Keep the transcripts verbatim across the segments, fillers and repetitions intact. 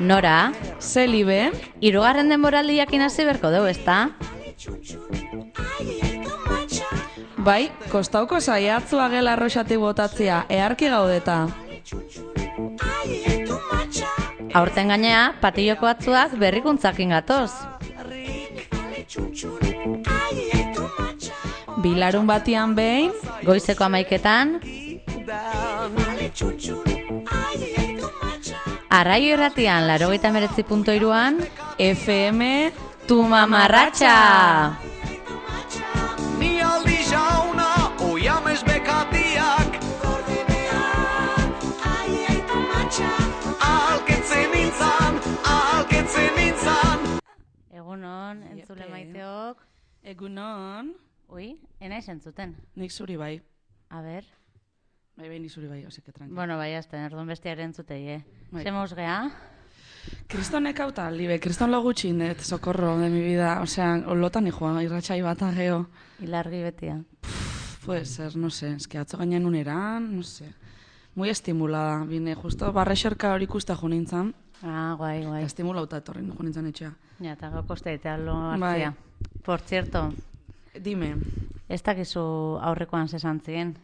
Nora, Zelibe, hirugarren denboraldiak hasi berko dugu, ezta? bai, kostauko saiatzua gela arroxati botatzea, eharki gaudeta. Aurten gainea, patilloko atzuak berrikuntzakin gatoz. Bilarun batian behin, Goizeko amaiketan, Arraio irratian, laurogeita hemeretzi puntu hiruan, F M Tu mamarratxa! Ni aldi jauna, oiamez bekatiak Alketzen nintzan, alketzen nintzan Egunon, entzule Iepe. maiteok. Egunon, Ui, enaiz entzuten. nik zuri bai. A ber. Bai, bai, nik zuri bai, oseke tranquilo. Bueno, bai, azten, erduan bestiaren entzutei, eh? Bai. Zemoz gea? Kristonek hauta, libe, kriston lo gutxinet, socorro de mi vida. Osea, lotan hijoa, irratxai bat ageo. Ilargi betia. Puede ser, no sé, es que atzo gainen uneran, no sé. Muy estimulada, bine, justo barrexerka hori ikusta jo nintzen. Ah, guai, guai. Estimulauta etorri jo nintzen etxea. Ja, eta gau kosteetea lo Bai. hartzia. Por cierto, Dime, ez dakizu aurrekoan zesantzien.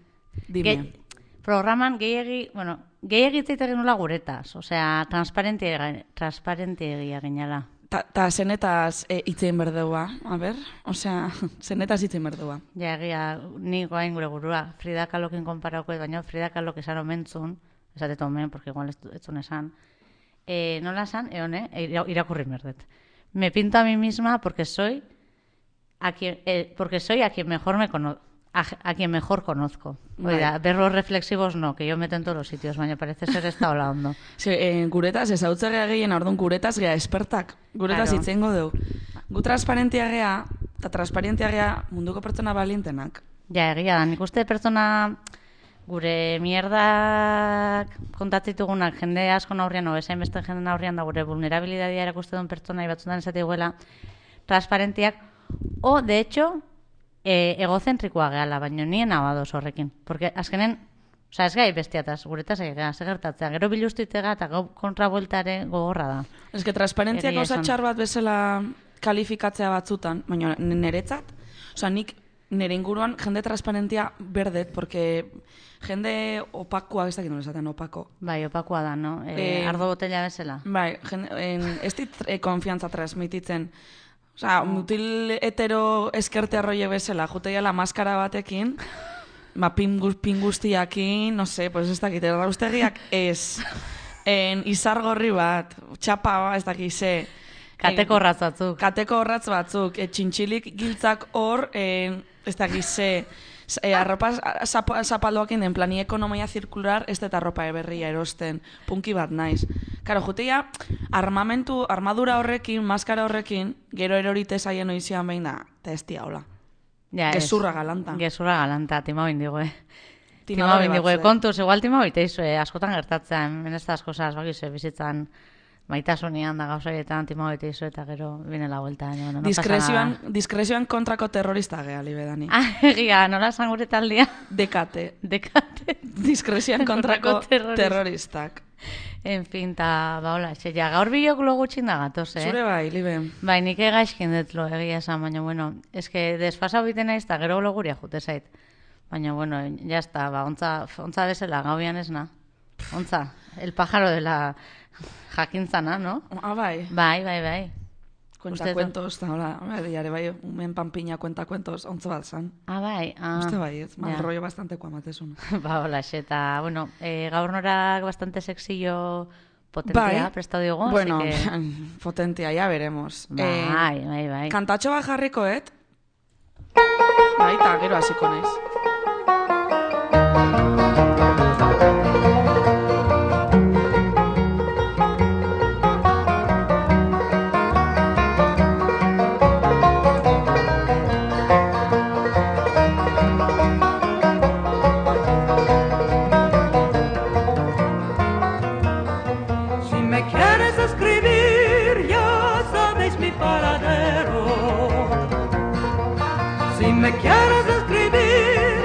dime. Ge- Programan gehiagi, bueno, gehiagi hitz egin nula guretaz. Osea, transparentia, transparentia ginala. Ta, ta zenetaz e, itzein berdeua, a ber? Osea, zenetaz itzein berdeua. Ja, egia, ni goain gure gurua. Frida Kahlokin konparauko, baina Frida Kahlok esan omentzun, esatet omen, porque igual ez etzun esan. Eh, nola esan, eone, ira- irakurri merdet. Me pinto a mí misma porque soy a quien, eh, porque soy a quien mejor me conozco. A, a quien mejor conozco. Oiga, verlos reflexivos no, que yo meto en todos los sitios, baina parece ser esta ola ondo. Ze, e, guretaz, ez hau gea gehien, orduan guretaz gea espertak. Guretaz Claro. itzeingo dugu. Gu transparentia gea, eta transparentia gea munduko pertsona balintenak. Ja, egia da, nik uste pertsona gure mierdak kontatzitugunak jende asko aurrian, o bezain beste jende aurrian da gure vulnerabilidadia erakuste duen pertsona batzutan esate guela transparentiak, o, de hecho, e, egozentrikoa gehala, baino nien abadoz horrekin. Porque azkenen, oza, ez gai bestiataz, guretaz egea, segertatzea, gero biluztuitega eta gau kontrabueltare gogorra da. Ez que transparentzia Egia gauza esan. txar bat bezala kalifikatzea batzutan, baina niretzat, osea, nik nire inguruan jende transparentia berdet, porque jende opakoa, ez dakit nola esaten opako. Bai, opakoa da, no? E, Eh, ardo botella bezala. Bai, jende, en, ez dit e, konfiantza transmititzen. Osea, mutil hetero eskerte arroie bezala, juteiala maskara batekin, ba, pin, gu- pin guztiakin, no sé, pues ez dakit, erraustegiak ez. En, izargorri bat, txapa, ez dakit, ze. Kateko horratz batzuk. Kateko horratz batzuk, e, txintxilik giltzak hor, e, ez dakit, ze. E, arropa zap, zapaldoakin den plani ekonomia zirkular, ez dut arropa eberria erosten, punki bat naiz. Karo, jutea, armamentu, armadura horrekin, maskara horrekin, gero erorite zaien oizian behin da, eta ez tia hola. Ja, ez. Gezurra galanta. Gezurra galanta, tima bindigue. Tima Timadore bindigue, batzue. kontuz, igual tima biteizue, askotan gertatzen, en estas cosas, bakizue, bizitzan, maitasunian da gauzaietan, tima biteizue, eta gero, bine la vuelta. No, no, no Diskrezioan, pasa diskrezioan kontrako terrorista gea, libedani. nada. Ah, egia, nola esan gure taldia? Dekate. Dekate. Diskrezioan kontrako Kontrako terrorista. terroristak. En fin, ta, ba, hola, xe, ja, gaur bilok lo gutxin da gatoz, eh? Zure bai, libe. Bai, nik egaizkin dut lo egia esan, baina, bueno, eske desfasau biten naiz, eta gero lo guria jute zait. Baina, bueno, ya está, ba, ontza, ontza bezala, gauian esna. Ontza, el pájaro de la jakintzana, no? Ah, bai. Bai, bai, bai. Cuentacuentos, eta hola, diare bai, umen panpiña cuentacuentos, ontzo bat zan. Ah, bai. Ah, Uste bai, ez, mal ja. rollo bastante kuamatezun. Ba, hola, eta, bueno, eh, gaur norak bastante sexillo potentia, Bai. prestatu digo, Bueno, así que... potentia, ya veremos. Eh, Bai, bai, bai. kantatxo bat jarrikoet, bai, eta gero hasiko naiz. Si me quieres escribir, ya sabéis mi paradero. Si me quieres escribir,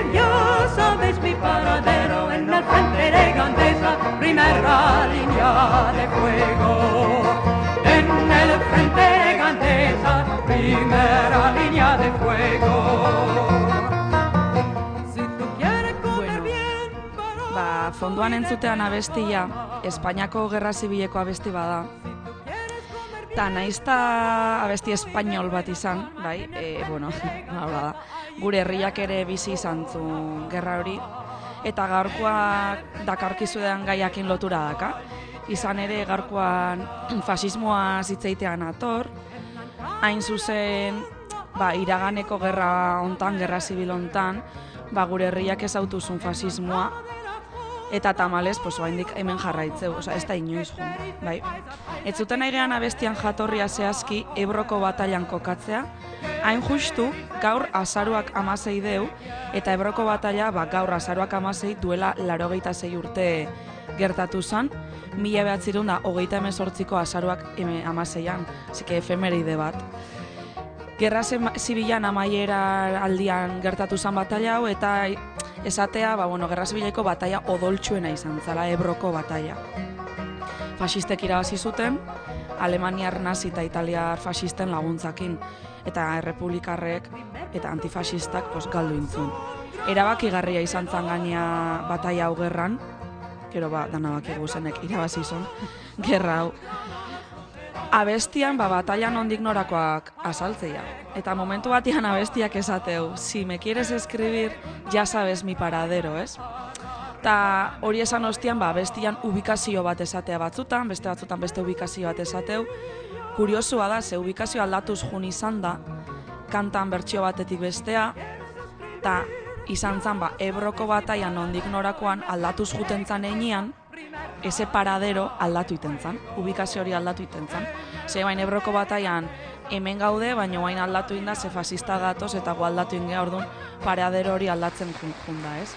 línea de fuego, en el frente Gandesa, primera línea de fuego. Si tú quieres comer bien, Ba, fondoan entzutean abestia, Espainiako Gerra Zibileko abesti bada. Ta naizta abesti espainol bat izan, bai, e, bueno, hala da. Gure herriak ere bizi izan zuen gerra hori, eta gaurkoak dakarkizuean gaiakin lotura daka. Izan ere gaurkoan fasismoa zitzeitean ator, hain zuzen, ba, iraganeko gerra hontan, gerra zibil hontan, ba, gure herriak ezautuzun fasismoa, eta tamalez, pues, oraindik hemen jarraitzeu, osea, ez da inoiz joan, bai. Ez zuten aigean abestian jatorria zehazki Ebroko batailan kokatzea, hain justu gaur azaruak amasei deu, eta Ebroko bataila ba, gaur azaruak amasei duela laurogeita sei urte gertatu zen, mila behatzirun da hogeita hemezortziko azaruak amaseian, zike efemeride bat. Gerra zibilan amaiera aldian gertatu zen bataila hau, eta esatea, ba, bueno, Gerra Zibileko bataila odoltsuena izan zala, Ebroko bataila. Fasistek irabazi zuten, Alemaniar nazi eta italiar fasisten laguntzakin, eta errepublikarrek eta antifasistak pues, galdu intzun. Erabakigarria izan zan gaina bataila hau gerran, gero ba, danabakigu zenek irabazi zon, gerra hau. Abestian, ba, bataila nondik norakoak azaltzea. Eta momentu batian abestiak esateu, si me quieres escribir, ya sabes mi paradero, ez? Ta hori esan ostian, ba, abestian ubikazio bat esatea batzutan, beste batzutan beste ubikazio bat esateu. Kuriosua da, ze ubikazio aldatuz jun izan da, kantan bertsio batetik bestea, eta izan zan, ba, Ebroko bataila nondik norakoan aldatuz juten zan einean, ese paradero aldatu iten zan, ubikazio hori aldatu iten zan. Ze bain Ebroko batailan hemen gaude, baina bain aldatu inda, ze fasista gatoz eta gu aldatu ingea, orduan paradero hori aldatzen jun da, ez?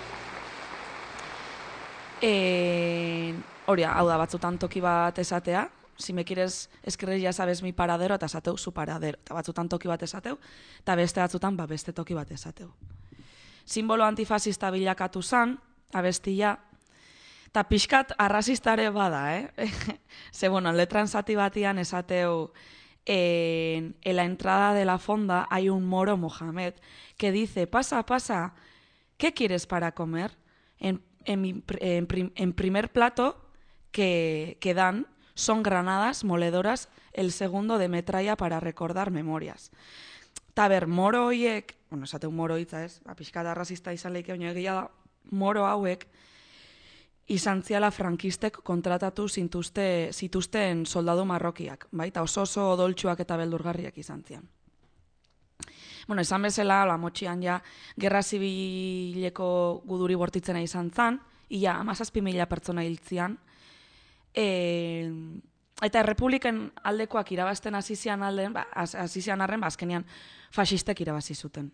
E, hori, hau da, batzutan toki bat esatea, si me quieres escribir ya sabes mi paradero, eta esateu su paradero, eta batzutan toki bat esateu, eta beste batzutan ba, beste toki bat esateu. Simbolo antifasista bilakatu zan, abestia, eta pixkat arrazistare bada, eh? Ze, bueno, letran zati batian esateu, en, en la entrada de la fonda hay un moro Mohamed que dice, pasa, pasa, ¿qué quieres para comer? En, en, mi, en, prim, en primer plato que, que dan son granadas moledoras, el segundo de metralla para recordar memorias. Ta ber, moro hoiek, bueno, esateu moro hitza ez, pixkat arrazista izan leike, baina egia da, moro hauek, izan ziala frankistek kontratatu zintuzte, zituzten soldadu marrokiak, bai? Ta oso oso odoltsuak eta beldurgarriak izan zian. Bueno, esan bezala, la motxian ja, Gerra Zibileko guduri bortitzena izan zan, ia hamazazpi mila pertsona hiltzian, e, eta errepubliken aldekoak irabazten hasizian alden, ba, hasizian arren, ba, azkenean fasistek irabazi zuten.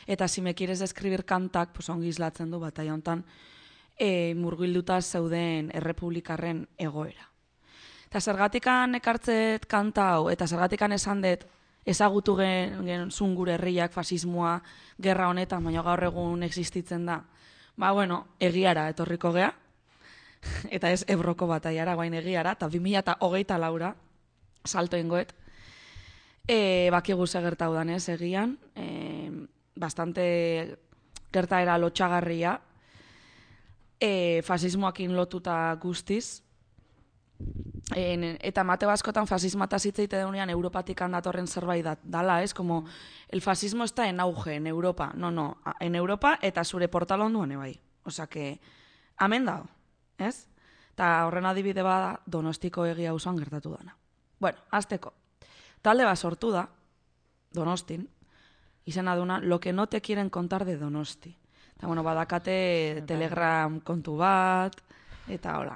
Eta si me quieres escribir kantak, pues ongi islatzen du bataila hontan, E, murgilduta zeuden errepublikarren egoera. Eta zergatikan ekartzet kanta hau, eta zergatikan esan dut ezagutu gen, gen zun gure herriak fasismoa gerra honetan, baina gaur egun existitzen da. Ba, bueno, egiara etorriko gea, eta ez Ebroko batailara, guain egiara, eta bi mila hogeita laura, salto ingoet, e, bakigu ze gertau danez egian, e, bastante gertaera lotxagarria, E, fasismoakin lotuta guztiz, e, eta Mateo askotan fasismata zitzeite deunean Europatik datorren zerbait da, dala, ez? Como, el fasismo está en auge en Europa. No, no, en Europa eta zure portal onduan bai. Osa que, amen dao, ez? Eta horren adibide bada Donostiko egia auzoan gertatu dana. Bueno, azteko. Talde bat sortu da, Donostin, izena duna, lo que no te quieren contar de Donosti. Eta, bueno, badakate Telegram kontu bat, eta hola.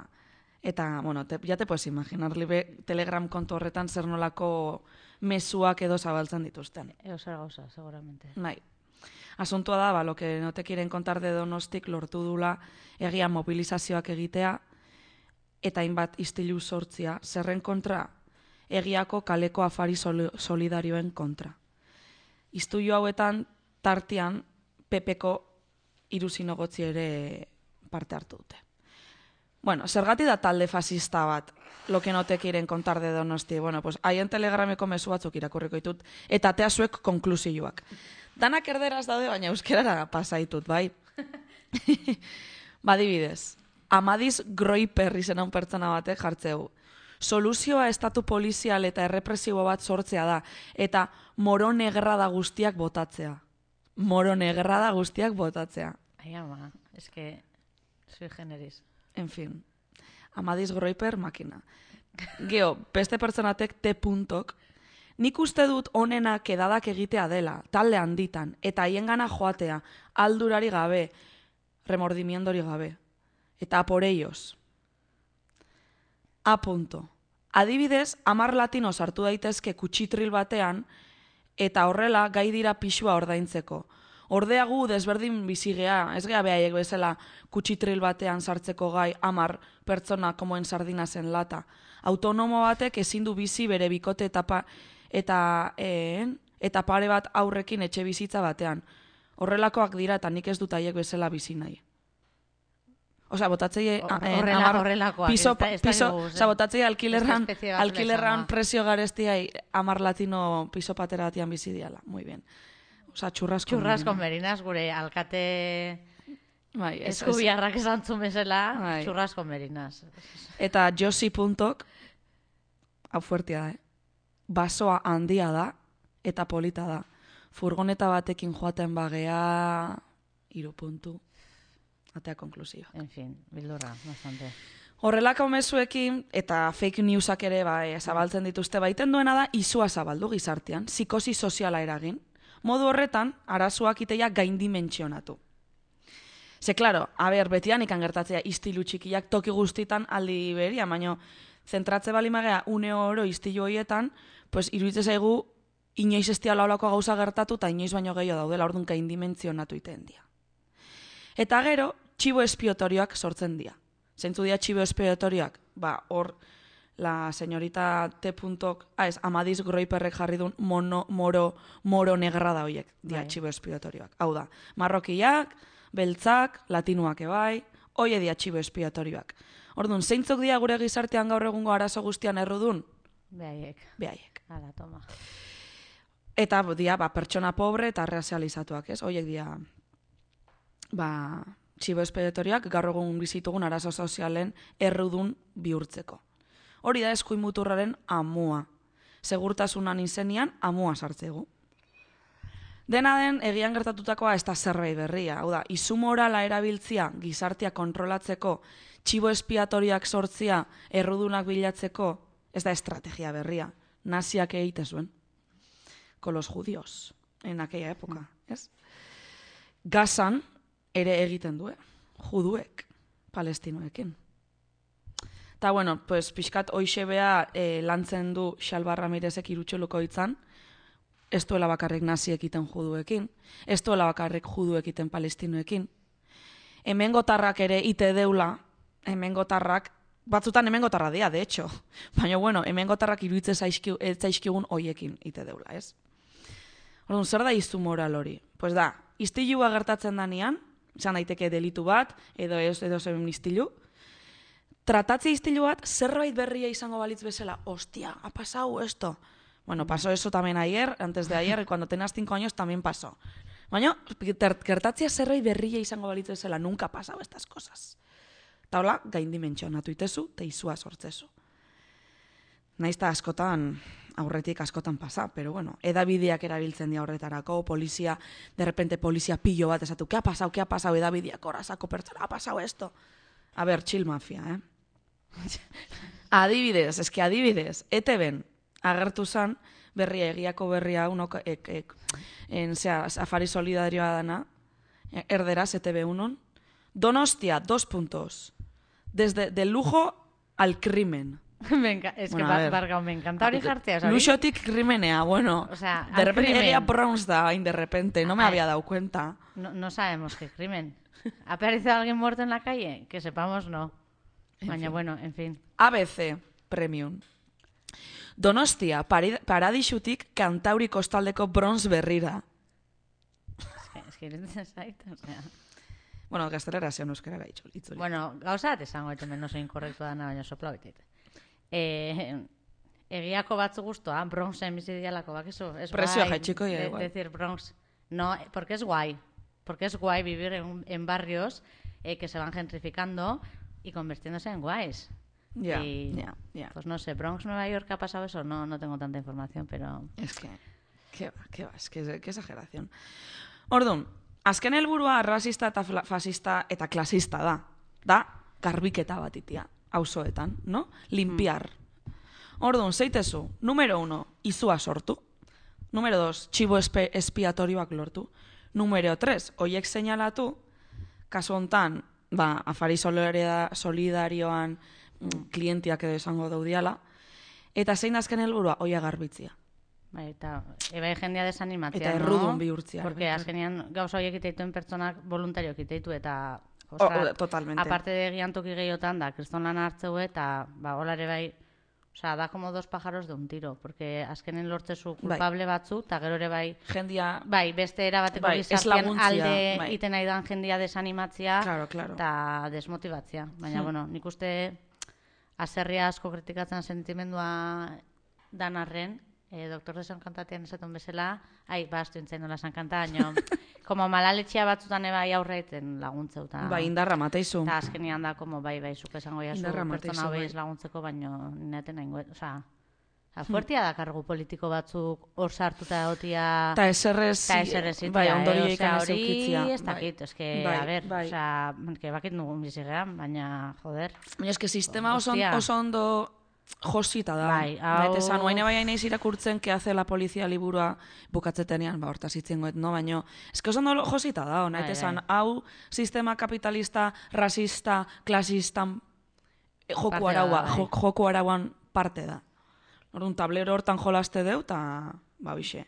Eta, bueno, te, ya te puedes imaginar, libe, Telegram kontu horretan zer nolako mezuak edo zabaltzen dituzten. Eo zer gauza, seguramente. Bai. Asuntua da, ba, lo que no te quieren contar de Donostik lortu dula egia mobilizazioak egitea, eta hainbat istilu sortzia, zerren kontra, egiako kaleko afari solidarioen kontra. Istuio hauetan, tartian, Pepeko hiru zinegotzi ere parte hartu dute. Bueno, zergati da talde fascista bat, lo que no te quieren contar de Donosti. Bueno, pues haien telegrameko mezu batzuk irakurriko ditut, eta atea zuek konklusioak. Danak erderaz daude, baina euskerara pasaitut, bai? Badibidez, Amadis Groiper izena un pertsona batek jartzeu. Soluzioa estatu polizial eta errepresibo bat sortzea da, eta moro negerra da guztiak botatzea. Moro negerra da guztiak botatzea. Ai, ama, eske, sui generis. En fin, Amadis Groiper makina. Geo, beste pertsonatek te puntok, nik uste dut onena kedadak egitea dela, talde handitan, eta haiengana joatea, aldurari gabe, remordimiendori gabe. Eta por ellos. A punto. Adibidez, hamar latino sartu daitezke kutsitril batean, eta horrela gai dira pixua ordaintzeko. Ordea gu desberdin bizigea, ez gea behaiek bezala kutsitril batean sartzeko gai hamar pertsona komoen sardinazen lata. Autonomo batek ezin du bizi bere bikote etapa eta en, eta pare bat aurrekin etxe bizitza batean. Horrelakoak dira eta nik ez dut haiek bezala bizi nahi. Osea, botatzei horrelakoak. Piso, ez da, piso, ez osea, botatzei alkilerran, espezie bat alkilerran lezama. presio garestiai hamar latino piso patera batian bizi diala. Muy bien. Osea, churrasco. Churrasco merinas, gure alkate Bai, ez, ez. eskubiarrak esan zumezela, Bai. churrasco merinas. Eta Josi puntok, hau fuertia da, eh? Basoa handia da, eta polita da. Furgoneta batekin joaten bagea, hiru puntu. Atea konklusioa. En fin, bildurra, bastante. Horrelako mezuekin, eta fake newsak ere bai, zabaltzen dituzte, baiten duena da, izua zabaldu gizartean, psikosi soziala eragin. Modu horretan, arazoak iteia gaindimentsionatu. Ze, klaro, a ber, betian ikan gertatzea istilu txikiak toki guztitan aldi beria, baino, zentratze bali magea une oro istilu horietan, pues, iruditzen zaigu, inoiz ez diala olako gauza gertatu, eta inoiz baino gehiago daudela, orduan gaindimentsionatu iten dia. Eta gero, txibo espiotorioak sortzen dira. Zeintzu dira txibo espiotorioak? Ba, hor, la señorita T. Ah, ez, Amadis Groiperrek jarri duen mono, moro, moro negra da horiek, dira Bai. txibo espiotorioak. Hau da, marrokiak, beltzak, latinuak ebai, hoie dira txibo espiotorioak. Orduan, zeintzuk dira gure gizartean gaur egungo arazo guztian errudun? Behaiek. Behaiek. Hala, toma. Eta dira, ba, pertsona pobre eta realizatuak, ez? Hoiek dira, ba, txibo espeditoriak gaur egun bizitugun arazo sozialen errudun bihurtzeko. Hori da eskuin muturraren amua. Segurtasunan izenian amua sartzegu. Dena den, egian gertatutakoa ez da zerbait berria. Hau da, izu morala erabiltzia gizartea kontrolatzeko, txibo espiatoriak sortzia errudunak bilatzeko, ez da estrategia berria. Naziak egite zuen. Con los judíos, en aquella época, ez? Gazan, ere egiten du, juduek, palestinoekin. Eta, bueno, pues, pixkat hoixe bea eh, lantzen du Xalba Ramirezek irutxoluko hitzan, ez duela bakarrik nazi ekiten juduekin, ez duela bakarrik judu ekiten palestinoekin. Hemengotarrak ere ite deula, hemengotarrak, batzutan hemengotarra dira, de hecho, baina, bueno, hemengotarrak iruditzen zaizkigun hoiekin ite deula, ez? Orduan, zer da izu moral hori? Pues da, istilua gertatzen danean, izan daiteke delitu bat, edo ez, edo zen istilu, tratatze istilu bat, zerbait berria izango balitz bezala, hostia, ha pasado esto. Bueno, pasó eso también ayer, antes de ayer, y cuando tenías cinco años también pasó. Baina, gertatzea zerbait berria izango balitz bezala, nunca ha pasado estas cosas. Eta hola, gaindimentsionatu itezu, eta izua sortzezu. Naiz ta askotan, aurretik askotan pasa, pero bueno, edabideak erabiltzen dira horretarako, polizia, de repente polizia pillo bat esatu, ¿qué ha pasado, qué ha pasado, edabideak horrazako pertsona, ha pasado esto? A ver, chill mafia, eh? Adibidez, eski adibidez, E T Ben agertu zan, berria, egiako berria, unok, ek, ek, en, zera, afari solidarioa dana, erderaz, E T B unon, Donostia, dos puntos, desde del lujo al crimen. Me enca- es Bueno, que a bar- ver. bargau, me encanta hori jartzea, ¿sabes? Luxotik krimenea, bueno, O sea, de al repente crimen. egia Browns da, hain de repente, no me Ay. había dado cuenta. No, no sabemos qué crimen. ¿Ha aparecido alguien muerto en la calle? Que sepamos, no. En Baina, fin. bueno, en fin. A B C Premium. Donostia, pari- paradisutik Kantauri kostaldeko bronz berrira. Es que, es que iruditzen zait, o sea... Bueno, gaztelera zion euskara gaitxo. Itzuli. Bueno, gauza bat esango eta menos inkorrektu dana, baina sopla biteite. Eh, egiako batzu guztua, Bronxen bizi dialako, bakizu, es Presioa guay. jaitsiko dira de- igual. decir Bronx. No, porque es guay. Porque es guay vivir en, en barrios eh, que se van gentrificando y convirtiéndose en guays. Ya, Y, ya, ya. Pues no sé, Bronx, Nueva York, ¿ha pasado eso? No, no tengo tanta información, pero... Es que, que va, que va, es que, que exageración. Orduan, azken helburua arrazista eta fla- fasista eta klasista da. Da, garbiketa bat itia, auzoetan, no? Limpiar. Orduan, zeitezu, numero uno, izua sortu. Numero dos, txibo espe, espiatorioak lortu. Numero tres, oiek seinalatu, kasu hontan, ba, afari solidaria- solidarioan mm, klientiak edo esango daudiala, eta zein azken helburua, oia garbitzia. Bai, eta ebai jendea desanimatzea, Eta no? errudun bihurtzea. Porque azkenean gauza horiek iteituen pertsonak voluntario iteitu eta... O- ostras, o- totalmente. Aparte de giantoki gehiotan da, kriston lan hartzeu eta, ba, holare bai, osea, da como dos pájaros de un tiro, porque azkenen lortzezu culpable batzu, eta gero ere bai, Jendia, bai, beste erabateko Bai, ez gizartean laguntzia, alde bai. iten nahi dan jendia desanimatzea Claro, claro. eta desmotibatzea. Baina, Hmm. bueno, nik uste aserria asko kritikatzen sentimendua dan arren, eh, doktor de San Kantatean esaten bezala, ai, ba, astu entzen nola San Kanta, baina, como malaletxea batzutan ebai aurreiten laguntzeu. Ta, bai, indarra mateizu. eta azkenean da, como, bai, bai, zuk esango jazu Indarra pertsona mateizu, hobei bai. ez laguntzeko, baina neaten nahi goet, osea, fuertia da kargu politiko batzuk hor sartuta egotia... Eta eserrez, Eta eserrez bai, itea, ondorio eh? ikan Osea, ez eukitzia. hori ez dakit, ez que, Bai, a ber, bai. osea, que bakit nugun bizigean, baina, joder. Baina eske sistema oso, Hostia. oso ondo josita da. Bai, hau- Eta esan, oain bai naiz irakurtzen que hace la policía liburua bukatzetenean, ba, hortaz itzengoet, no? Baina, eske oso ondo josita da, nahi Bai, esan, bai. hau sistema kapitalista, rasista, klasistan eh, joku Parte da, araua, bai. jo- joku arauan parte da. Orduan, tablero hortan jolaste deu, eta, ba, bixe.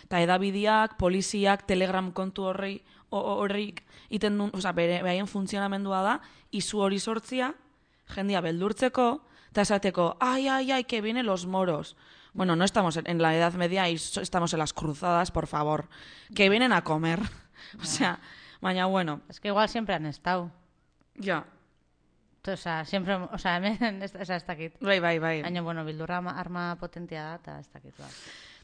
Eta edabideak, poliziak, telegram kontu horri, ho- horrik, iten duen, oza, bere, behaien funtzionamendua da, izu hori sortzia, jendia beldurtzeko, eta esateko, ai, ai, ai, que vienen los moros. Bueno, no estamos en, en la Edad Media y so- estamos en las cruzadas, por favor. Que vienen a comer. O sea, baina, bueno, Es que igual siempre han estado. ja. O sea, siempre, o sea, hemen, ez, ez, ez dakit. Bai, bai, bai. Baina, bueno, bildurra arma, arma potentia da, eta ez dakit. Ba.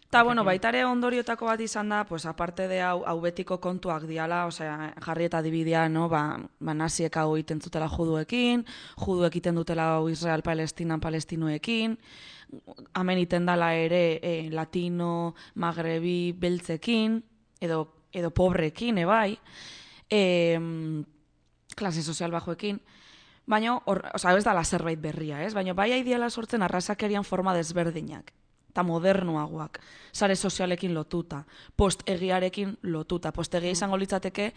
Ta, bueno, baitare ondoriotako bat izan da, pues, aparte de hau, hau betiko kontuak diala, osea, jarri eta dibidea, no, ba, ba naziek hau iten zutela juduekin, juduek iten dutela hau Israel Palestinan palestinuekin, hemen iten dala ere eh, latino, magrebi, beltzekin, edo, edo pobrekin, ebai, e, klase sozial bajoekin, baina, hor, osea, ez dala zerbait berria, ez? Baina bai aidiala sortzen arrazakerian forma desberdinak eta modernoagoak, sare sozialekin lotuta, postegiarekin lotuta. Postegia izango litzateke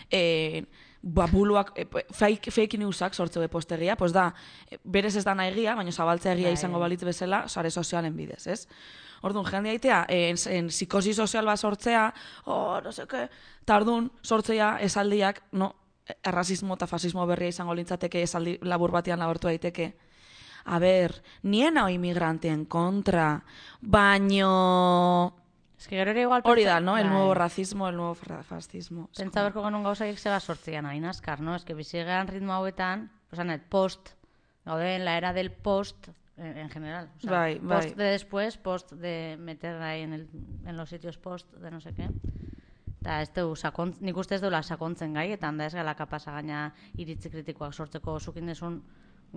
e, babuluak, e, fake, fake newsak sortzeu e postegia, pues da, e, berez ez dana egia, baina zabaltzea egia Bai. izango balitz bezala, sare sozialen bidez, ez? Orduan, jende aitea, en, en psikosi sozial bat sortzea, oh, no seke, eta orduan, sortzea esaldiak, no, errazismo eta fasismo berria izango litzateke esaldi labur batean labortu daiteke. A ber, nien hau inmigranteen kontra, baino... Es que gero ere igual... Hori pentsa- da, ¿no? El bai. nuevo racismo, el nuevo fra- fascismo. Es Pentsa como- berko genuen gauzaiek zeba sortzian, hain askar, no? Es que bizigean ritmo hauetan, osan, el post, gaude en la era del post, en, en general. O sea, Bai, bai. post de después, post de meter ahí en, el, en los sitios post de no sé qué. Eta ez du, sakon, nik uste ez duela sakontzen gai, eta handa ez gala kapasa gaina iritzi kritikoak sortzeko zukin desun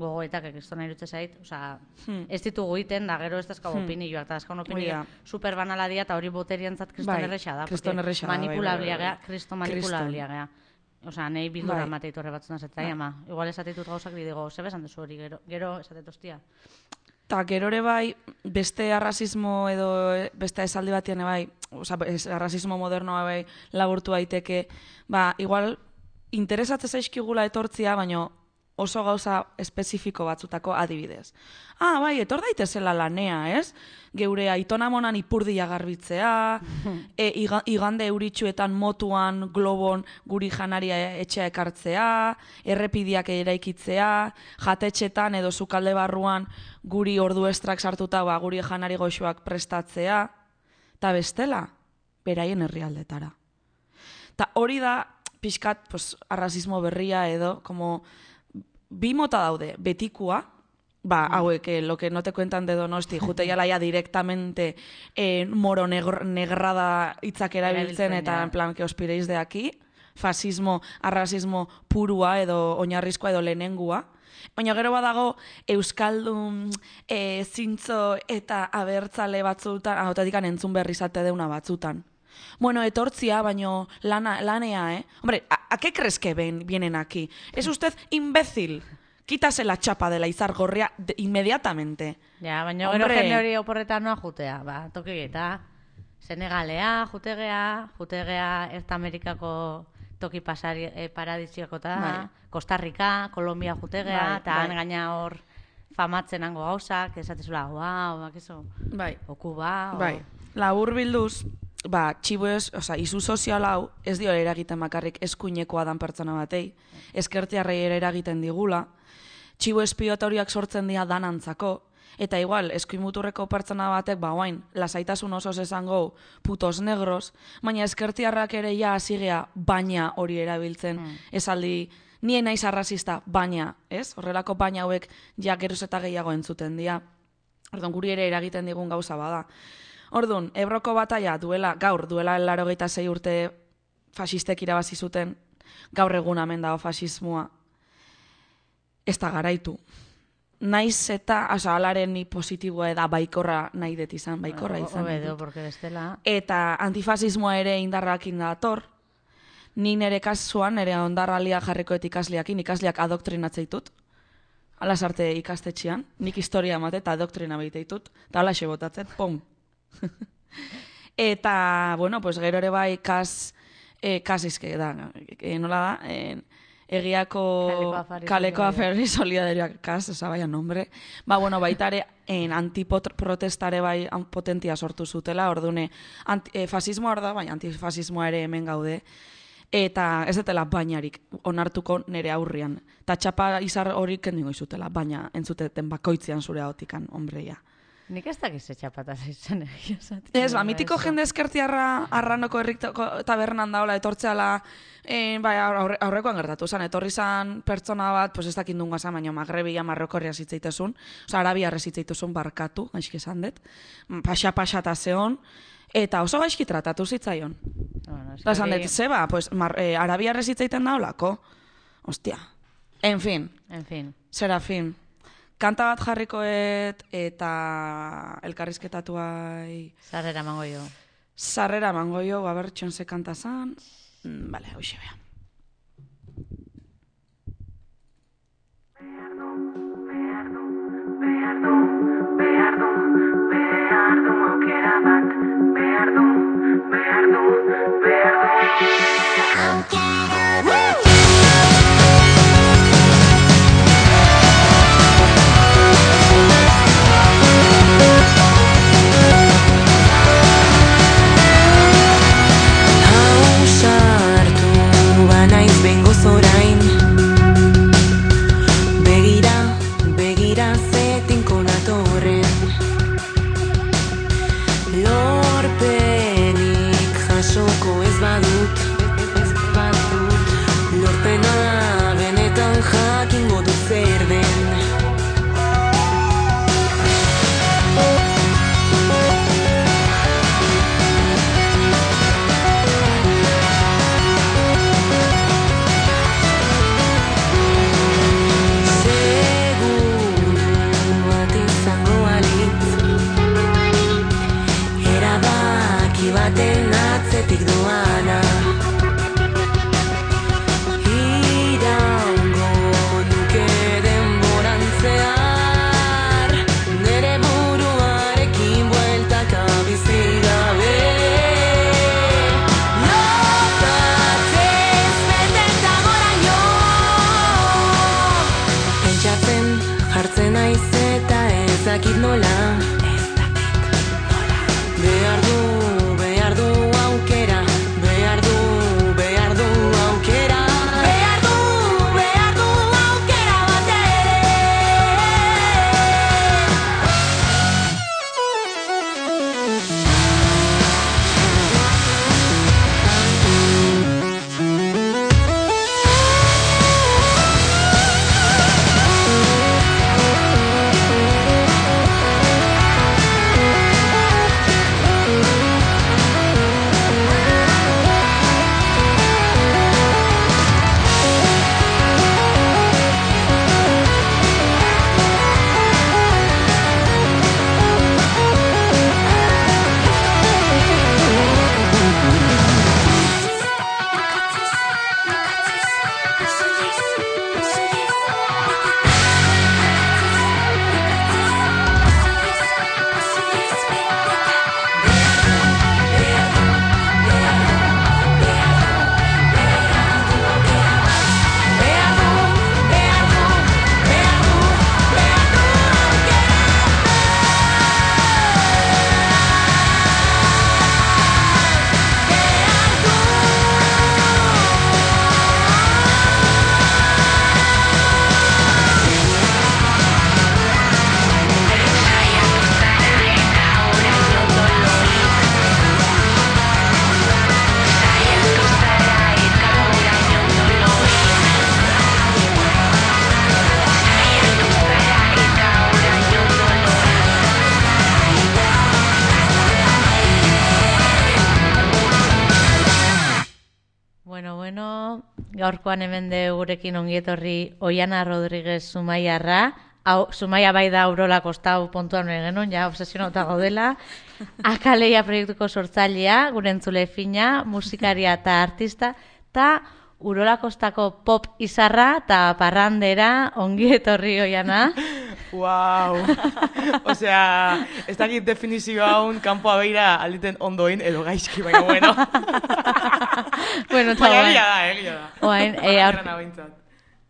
gogoetak ekistona irutze zait, osea, Hmm. ez ditugu iten, da gero ez dazkau opinioak, eta dazkau Hori opinioak da. super banala dia, eta hori boteriantzat kriston Bai, erresa da. kriston porque erresa da, bai, bai, manipulablia bai, bai. gea, kriston manipulablia gea. Osea, nahi bildura Bai. emateit horre batzuna zetai, ama. Igual esatitut gauzak digo, ze besan dezu hori, gero, gero esatet ostia. Ta gero ere bai, beste arrazismo edo eh, beste esaldi batean bai, osea, es- arrazismo modernoa bai laburtu daiteke, ba, igual interesatze zaizkigula etortzia, baino oso gauza espezifiko batzutako adibidez. Ah, bai, etor daitezela lanea, ez? Geure aitonamonan ipurdia garbitzea, e, iga- igande euritxuetan motuan, globon guri janaria etxea ekartzea, errepidiak eraikitzea, jatetxetan edo sukalde barruan guri ordu estrak sartuta ba, guri janari goxoak prestatzea, eta bestela, beraien herrialdetara. Ta hori da pixkat, pues, arrazismo berria edo, como, bi mota daude, betikua, ba, hauek, eh, lo que no te cuentan de Donosti, jute jala ya directamente eh, moro negr, negrada hitzak erabiltzen, eta ja. en plan, que os piréis de aquí, fasismo, arrazismo purua edo oinarrizkoa edo lehenengua. Baina gero badago euskaldun e, zintzo eta abertzale batzutan, ahotatikan entzun berri zate deuna batzutan. Bueno, etortzia, baino lana, lanea, ¿eh? Hombre, ¿a, ¿a qué crees que ven, vienen aquí? ¿Es usted imbécil? Quítase la chapa de la izar gorria de, inmediatamente. Ja, baina gero jende hori oporretan noa jutea, ba, tokigeta. Senegalea, jutegea, jutegea Erta Amerikako toki pasari, eh, paradiziakota, bai. Costa Rica, Kolombia jutegea, eta bai, bai. Gaina hor famatzen hango gauzak, esatezula, guau, bakizu, bai. Okuba, o... Bai, labur bilduz, ba, txibuez, oza, izu sozial hau, ez dio eragiten makarrik eskuinekoa dan pertsona batei, eskertiarrei ere eragiten digula, txibu espiotoriak sortzen dira danantzako, eta igual, eskuin muturreko pertsona batek, ba, guain, lasaitasun osoz esango putos negros, baina eskertiarrak ere ja azigea baina hori erabiltzen, mm. esaldi, nien naiz arrazista, baina, ez? Horrelako baina hauek ja geroz eta gehiago entzuten dira. Orduan, guri ere eragiten digun gauza bada. Orduan, Ebroko bataia duela, gaur, duela laurogeita sei urte fasistek irabazi zuten, gaur egun hemen dago fasismoa, ez da garaitu. Naiz eta, asa, alaren ni positiboa eda baikorra nahi det izan, baikorra izan. Obedo, porque bestela. Eta antifasismoa ere indarrakin dator. Ni nere kasuan, nere ondarralia jarrikoet ikasliakin, ikasliak adoktrinatzeitut. Ala sarte ikastetxean, nik historia emate eta adoktrina behiteitut. Eta ala botatzen, pom. Eta, bueno, pues gero ere bai kas, eh, kas izke da, eh, nola da, eh, egiako kaleko aferi solidarioak kas, esa baia nombre. Ba, bueno, baita ere en antiprotestare bai potentia sortu zutela, ordune anti, eh, fasismoa hor da, baina antifasismoa ere hemen gaude. Eta ez detela bainarik onartuko nere aurrian. Ta txapa izar horik kendingo izutela, baina entzuteten bakoitzean zure ahotikan, hombreia. Nik ez dakiz etxapataz izan egia zati. Ez, ba, mitiko jende eskertiarra arranoko herriko tabernan daola etortzeala, eh, bai, aurre, aurrekoan gertatu zan, etorri zan pertsona bat, pues ez dakindun gazan, baina magrebia marrokorria zitzeitezun, oza, arabia zitzeitezun barkatu, gaizki esan dut, paxa-paxata zeon, eta oso gaizki tratatu zitzaion. Bueno, da esan dut, zeba, pues, mar, eh, arabia zitzeiten daolako, ostia, en fin, en fin, Serafin. Kanta bat jarrikoet eta elkarrizketatuai... Sarrera mango jo. Sarrera mango jo, gaber txonze kanta zan. Mm, vale, hoxe bea. Behar du, behar du, behar du, behar du, behar du aukera bat. Behar du, behar du, behar du. Aukera bat. Orain begira, begira zetinko natorren lorpenik jasoko ez badut, ez badut. Bueno, gaurkoan hemen de gurekin ongietorri Oiana Rodríguez Zumaiarra. Hau, Zumaia bai da Urola kostau pontuan genuen, ja obsesionauta gaudela. Akaleia proiektuko sortzailea, gure entzule fina, musikaria eta artista, eta Urola kostako pop izarra eta parrandera ongietorri Oiana. Wow. Osea, ez dakit definizio haun kanpoa beira alditen ondoin edo gaizki, baina bueno. Bueno, eta baina guain. egia da, egia da. Oain, eh, aur... Parrandera behintzat.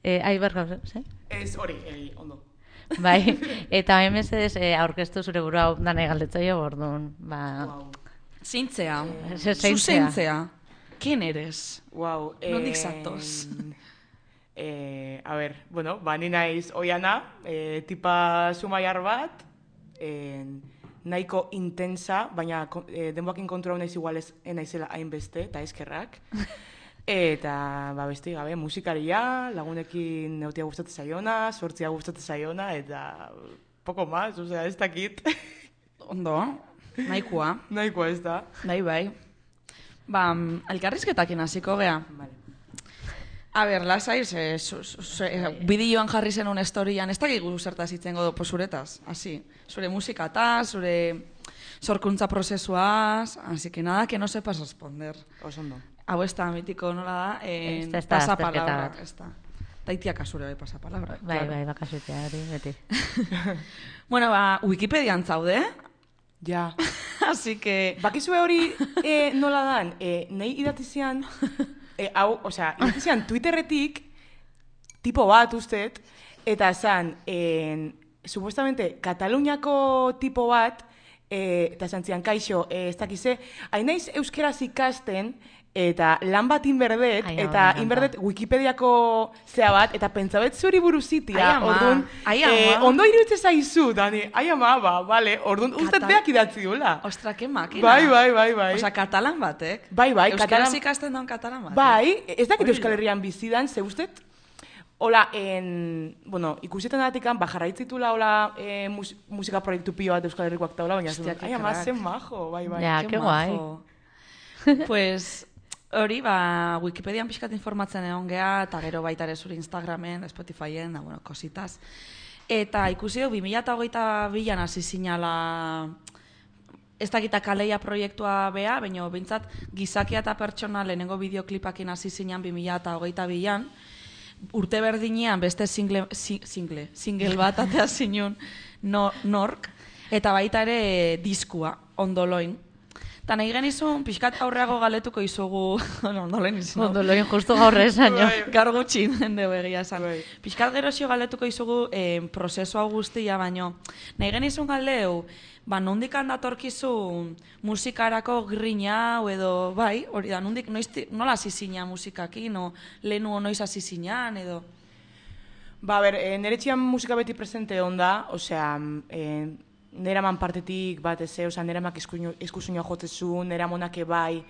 Eh, Aibar gauza, ze? Ez hori, egi, ondo. Bai, eta hemen mesedez eh, aurkeztu zure burua hau danai galdetzaio bordun. Ba, Wow. Zintzea. Ze- zeintzea. Zuzentzea. ¿Quién eres? Wow. Nondik zatoz? Eh, a ver, bueno, ba, ni naiz Oiana, eh, tipa Zumaiar bat, eh, nahiko intensa, baina eh, denboakin kontrol naiz igual ez naizela hainbeste, eta eskerrak. Eta, ba, beste gabe, musikaria, lagunekin neutia gustatzen zaiona, sortzia gustatzen zaiona, eta poco más, osea, ez dakit. Ondo, nahikoa. Nahikoa ez da. Bai, bai. Ba, mm, elkarrizketakin hasiko gea. Vale. A ber, lasai, ze, zu, zu, zu, bideoan jarri zenun historian, ez dakigu zertaz itzengo do posuretaz, hasi. Zure musikataz, zure sorkuntza prozesuaz, así que nada, que no sepas responder. Oso ondo. Hau ez da mitiko nola da, en, Ez da, ez da, pasapalabrak, azterketa bat. ez da. Taitiak asure bai pasapalabrak. bai, claro. bai, bakasutea hori, beti. Bueno, ba, Wikipedian zaude, Ja. así que... Bakizue hori eh, nola dan, eh, nahi idatizian, eh, hau, osea, idatizian Twitterretik, tipo bat ustet, eta zan, en, supuestamente, Kataluniako tipo bat, eh, eta zan zian, kaixo, eh, ez dakize, hain naiz euskeraz ikasten, eta lan bat inberdet, Ai, eta hau, me inberdet Wikipediako zea bat, eta pentsabet zuri buruzitia, Ai, ama, orduan, ai, eh, ama. ondo iruditze zaizu, Dani, ai ama, ba, vale, orduan, ustet Katal- beak idatzi dula. Ostra, que makina. Bai, bai, bai, bai. Osea, katalan batek. Bai, bai, Euskaraz katalan- ikasten daun katalan batek. Bai, ez dakit Hori Euskal da. Herrian bizidan, ze ustet, hola, en, bueno, ikusietan datikan, ba, jarraitzitula, hola, eh, mus, musika proiektu pilo bat Euskal Herrikoak taula, baina, Hostia, zen, que ai, ama, crack. zen majo, bai, bai. Ja, Ke que guai. majo. Pues, hori, ba, Wikipedian pixkat informatzen egon gea, eta gero baita ere zure Instagramen, Spotifyen, da, bueno, kositaz. Eta ikusi du, bi mila hogeita bian hasi zinala, ez dakita kaleia proiektua bea, baina behintzat gizakia eta pertsona lehenengo bideoklipakin hasi zinan bi mila hogeita bian, urte berdinean beste single, si, single, single bat atea zinun no, nork, eta baita ere diskua, ondoloin. Eta nahi genizun, pixkat aurreago galetuko izugu, no, ondoloin izan. Ondo loin justu gaur esan jo. Gaur gutxi den dugu egia esan. Bai. Pixkat gerozio galetuko izugu eh, prozesu hau guztia, baino nahi genizun galdeu, ba, nondik handatorkizu musikarako grina hau edo, bai, hori da, nondik, noiz, nola hasi zina musikakin, no, lehenu noiz hasi zinan, edo... Ba, ber, e, nire txian musika beti presente onda, osea, e, nera man partetik bat eze, osea, nera mak eskusuñoa jotzezun, nera monake bai,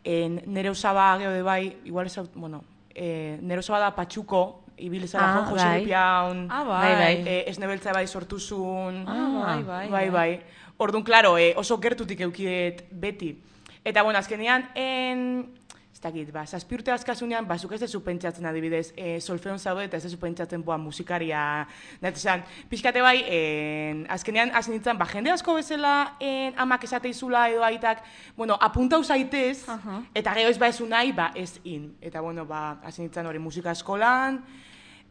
e, nere osaba geode bai, igual ez, bueno, e, nere osaba da patxuko, ibilizara Ah, jo, Jose bai. Lipiaun, Ah, Bai, bai. e, esnebeltza bai sortuzun, Ah, bai, bai, bai, bai. Orduan, klaro, e, oso gertutik eukidet beti. Eta, bueno, azkenean, en, ez dakit, ba, zazpi urte azkasunean, ba, zuk ez dezu pentsatzen adibidez, e, solfeon zaude eta ez dezu pentsatzen, boa, musikaria, nahi pixkate bai, en, azkenean, hasi nintzen, ba, jende asko bezala, en, amak esate izula edo aitak, bueno, apuntau zaitez, Aha. eta gero ez ba ezu nahi, ba, ez in. Eta, bueno, ba, hasi nintzen hori musika eskolan,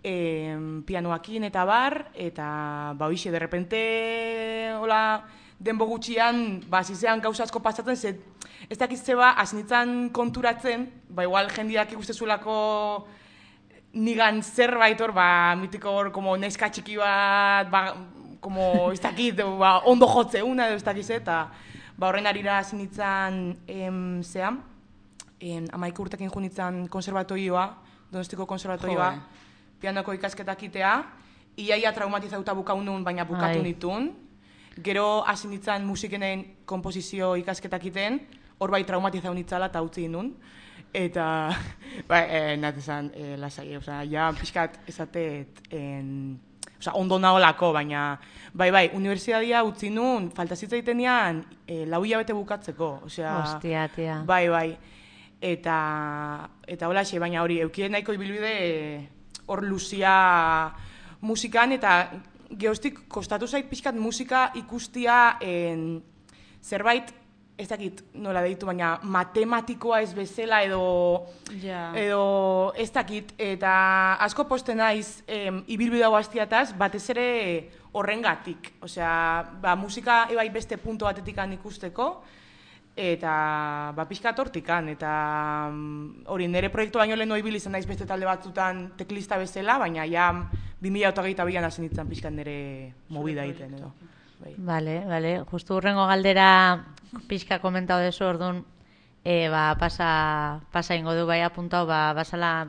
em, pianoakin eta bar, eta, ba, hoxe, de repente, hola, denbo gutxian, ba, zizean gauza asko pasatzen, ze, ez dakitze ba, hasi nintzen konturatzen, ba, igual jendiak ikustezulako nigan zerbait hor, ba, mitiko hor, como neska txiki bat, ba, como, ez dakit, ba, ondo jotzeuna, edo ez dakitze, eta, ba, horren arira hasi nintzen, em, zean, en, amaik urtekin jo nintzen konservatorioa, Donostiko konservatorioa, Jo, pianoko ikasketak itea, iaia traumatizauta bukaunun, baina bukatu Ai. nitun. Gero hasi nintzen musikenen komposizio ikasketak iten, hor bai traumatizau nitzala eta utzi nun. Eta, ba, eh, nahat esan, eh, lasai, osea, ja, pixkat esatet, en, osea, ondo naholako, baina, bai, bai, unibertsitatea utzi nun, falta zitzaitenean, eh, lau hilabete bukatzeko, osea, Ostia, tia. bai, bai. eta eta holaxe, baina hori eukien nahiko ibilbide hor luzia musikan, eta geostik kostatu zait pixkat musika ikustia en, zerbait, ez dakit nola deitu, baina matematikoa ez bezala edo, Ja. edo ez dakit, eta asko posten naiz em, ibilbide hau hastiataz, batez ere horrengatik. Osea, ba, musika ebai beste punto batetikan ikusteko, eta ba, pixkat hortikan, eta mm, hori nire proiektu baino lehen ibili izan naiz beste talde batzutan teklista bezala, baina ja bi mila hogeita bian hasi nintzen pixkat nire movida egiten edo. Bai. Vale, vale. Justu hurrengo galdera pixka komentau dezu, orduan, e, ba, pasa, pasa ingo du bai apuntau, ba, basala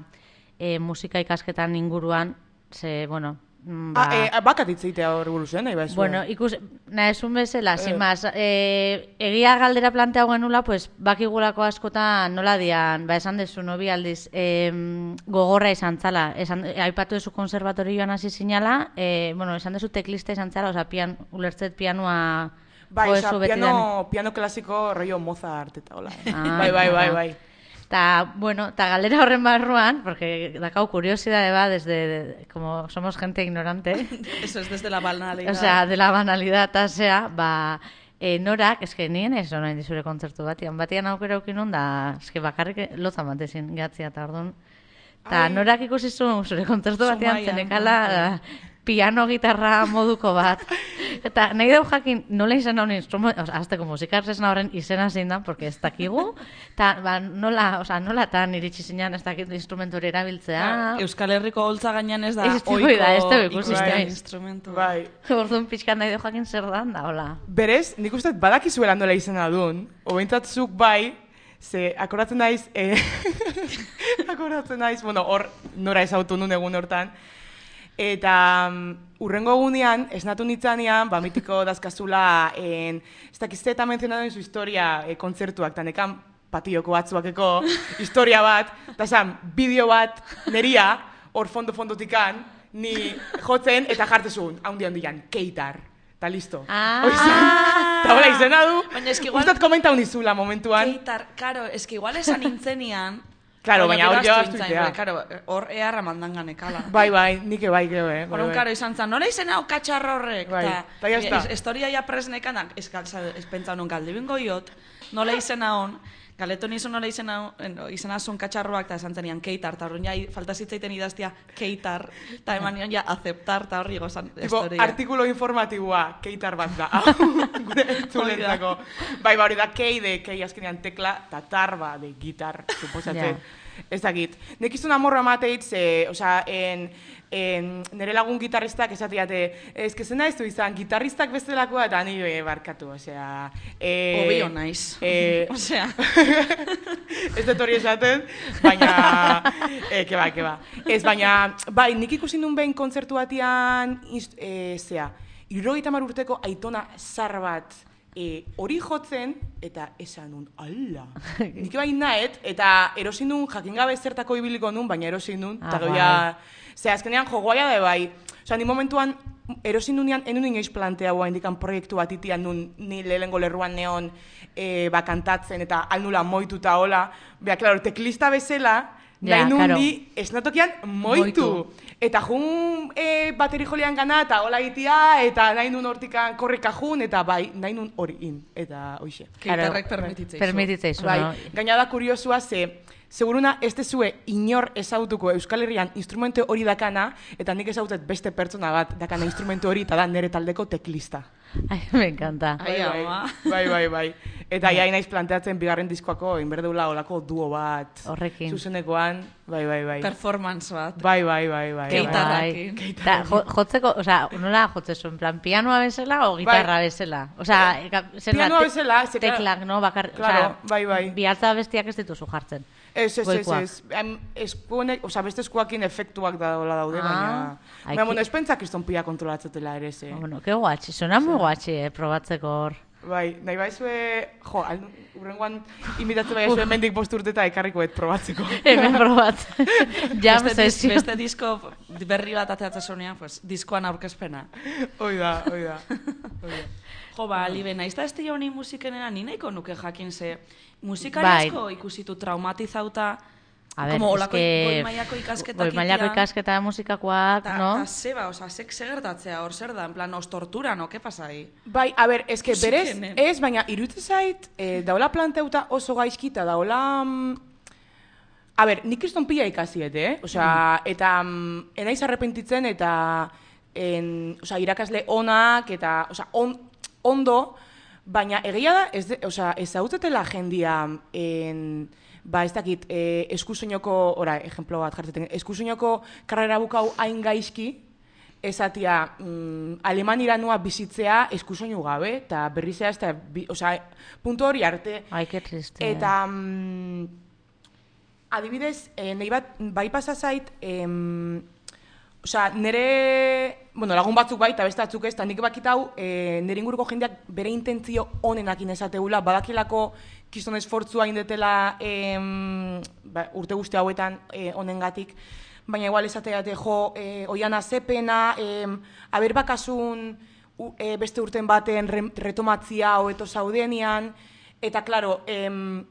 e, musika ikasketan inguruan, ze, bueno, mm, ba... Ah, eh, bakat itzeitea hor buruz, eh, nahi ba Bueno, ikus, nahi esun bezala, sin más, e, egia galdera planteau genula, pues, bakigulako askotan nola dian, ba, esan dezu, nobi aldiz, e, gogorra izan zala, esan, e, aipatu dezu konservatorioan hasi zinala, e, bueno, esan dezu teklista izan zala, oza, pian, ulertzet pianoa... Bai, jo oza, dezu betidan. piano, piano klasiko rollo Mozart eta hola. Eh? Ah, bai, bai, bai, bueno. bai. Ta, bueno, ta galera horren barruan, porque dakau curiosidade ba, desde, de, como somos gente ignorante, Eso es desde la banalidad. o sea, de la banalidad, ta sea, ba, e, norak, eske nien ez orain zure kontzertu batian, batian aukera aukinun da, eske bakarrik lotza batezin gehatzia eta orduan. Ta Ai. norak ikusi zuen zure kontzertu batean Zumaian, zenekala piano gitarra moduko bat. Eta nahi dau jakin nola izan hau instrumento, o sea, azteko musikarresna horren izena zein da, porque ez dakigu, eta ba, nola, o sea, nola tan iritsi zinean ez dakit instrumentu hori erabiltzea. Euskal Herriko holtza gainean ez da Ez da, ohiko da, ez da ikusi, ikusten bai. instrumentua. Bai. Orduan pixkan nahi dau jakin zer dan da, hola. Berez, nik uste badakizuela nola izena duen, obentzat zuk bai, ze akoratzen naiz, eh, akoratzen naiz, bueno, hor nora ezautu nun egun hortan, eta um, urrengo egunean, esnatu nitzanean, ba, mitiko dazkazula, en, ez dakizte eta menzionatu zu historia e, kontzertuak, eta nekan patioko batzuakeko historia bat, eta esan, bideo bat, neria, hor fondo-fondotikan, ni jotzen, eta jartezun, haundi handian, keitar. Eta listo. Ah. Eta hola izena du. Baina eski igual- Ustat komentau nizula momentuan. Keitar, karo, eski igual esan nintzenian... Claro, baina hor gero jo ahaztu astuitea. nintzen, Karo, hor eharra mandangan ekala. Bai, bai, nik bai, gero, eh. bai, Horren, bai. karo, izan zan, nola izen hau katxarro horrek? Bai, eta ya está. es- Historia ja presnekan, ez, ez pentsa honon galde bingo iot, nola izen hon, galeto nizu nola izen hau, izen azun katxarroak, eta esan zenian keitar, eta horren ja, falta zitzaiten idaztia keitar, eta eman nion ja, aceptar, eta horri gozan Tipo, historia. artikulo informatiboa, keitar bat da. Gure entzulentzako. Bai, ba, hori da, kei de, kei azkenean tekla, eta tarba de gitar, suposatzen. Ez dakit. Nek izun amorra mateitz, ze, osea, en, en, nire lagun gitarristak esatiate, ez que zena ez du izan, gitarristak bestelakoa eta ni eh, barkatu, osea... Eh, Obio naiz. Eh, Osea. ez dut hori esaten, baina... Eh, ke ba, ke ba. Ez, baina, bai, nik ikusi nun behin kontzertu batian, inst- eh, zea, hirurogeita hamar urteko aitona zar bat, E, hori jotzen, eta esan nun, ala. Nik bai nahet, eta erosin nun, jakin gabe zertako ibiliko nun, baina erosin nun, Ah, eta bai. goia, ze azkenean jogoaia da bai. Osea, ni momentuan, erosin nunean, enun inoiz planteaua indikan proiektu bat itian nun, ni lehengo lerruan neon, e, ba, kantatzen, eta alnula moituta hola. Bea, klaro, teklista bezala, Ja, nahi nun claro. ni esnatokian moitu. Moitu. Eta jun e, bateri jolean gana, eta hola itia, eta nahi nun hortikan korrika jun, eta bai, nahi nun hori in, eta hoxe. Keitarrek permititzeizu. Permititzeizu, Bai, no? gaina da kuriosua ze, seguruna ez dezue inor ezautuko Euskal Herrian instrumentu hori dakana, eta nik ezautet beste pertsona bat dakana instrumentu hori, eta da nere taldeko teklista. Ai, me encanta. Ai, bai, ama. bai, bai, bai. Eta ja naiz planteatzen bigarren diskoako, inberdeula olako duo bat. Horrekin. Zuzenekoan, bai, bai, bai. Performance bat. Bai, bai, bai, bai. Keitarra. bai. Bai. Ta, jo, jotzeko, osea, nola jotzezu, en plan, pianoa bezala o gitarra bezala? Osea, eka- zer da, pianoa te- bezala, ze, claro, teklak, no, bakar, claro, osea, bai, bai. bihaltza bestiak ez dituzu jartzen. Ez, ez, ez, Goikoak. ez. Em, eskuenek, oza, beste eskuakin efektuak da dola daude, Ah, baina... ai, Baina, ki- bueno, ez pentsak izton pila kontrolatzatela ere, ze. Bueno, que guatxi, suena muy guatxi, eh, probatzeko hor. Bai, nahi baizue, jo, aldu, urrengoan imitatzen baizue mendik bost urte eta ekarriko et probatzeko. Hemen probatzen. Jam Beste, dis, sesio. beste disko berri bat ateratzen zuenean, pues, diskoan aurkezpena. Hoi da, hoi da. Hoi da. Jo, ba, Libe, nahiz da ez dira honi musikenera, ni nahiko nuke jakin ze musikari Bai. asko ikusitu traumatizauta, A ver, como es olako que goi mailako ikasketak goi mailako ikasketa musikakoak, Ta, no? ta zeba, oza, sek segertatzea hor zer da, en plan, os tortura, no? Ke pasai? Bai, a ber, eske berez, Musikenen. ez, baina iruditzen zait, eh, daola planteuta oso gaizkita, daola... mm, A ber, nik kriston pila ikasiet, eh? Osea, eta mm, enaiz arrepentitzen eta en, osea, irakasle onak eta, osea, on, ondo, baina egia da, ez, de, osea, ez hautetela jendia en, ba, ez dakit, eh, eskusoinoko, ora, ejemplo bat jartzen, eskusoinoko karrera bukau hain gaizki, esatia, mm, Alemanira noa bizitzea eskusoinu gabe, eta berrizea, ez da, bi, osea, puntu hori arte. Ai, que triste. Eta, mm, adibidez, eh, nahi bat, bai pasa zait, em, osea, nire, bueno, lagun batzuk bai, eta beste batzuk ez, eta nik bakitau, eh, nire inguruko jendeak bere intentzio onenakin esateula, badakilako kiston esfortzua indetela em, ba, urte guzti hauetan eh, honengatik, baina igual esateate jo, eh, oiana zepena, em, aber bakasun u, eh, beste urten baten re, retomatzia hoeto zaudenian, eta klaro, em,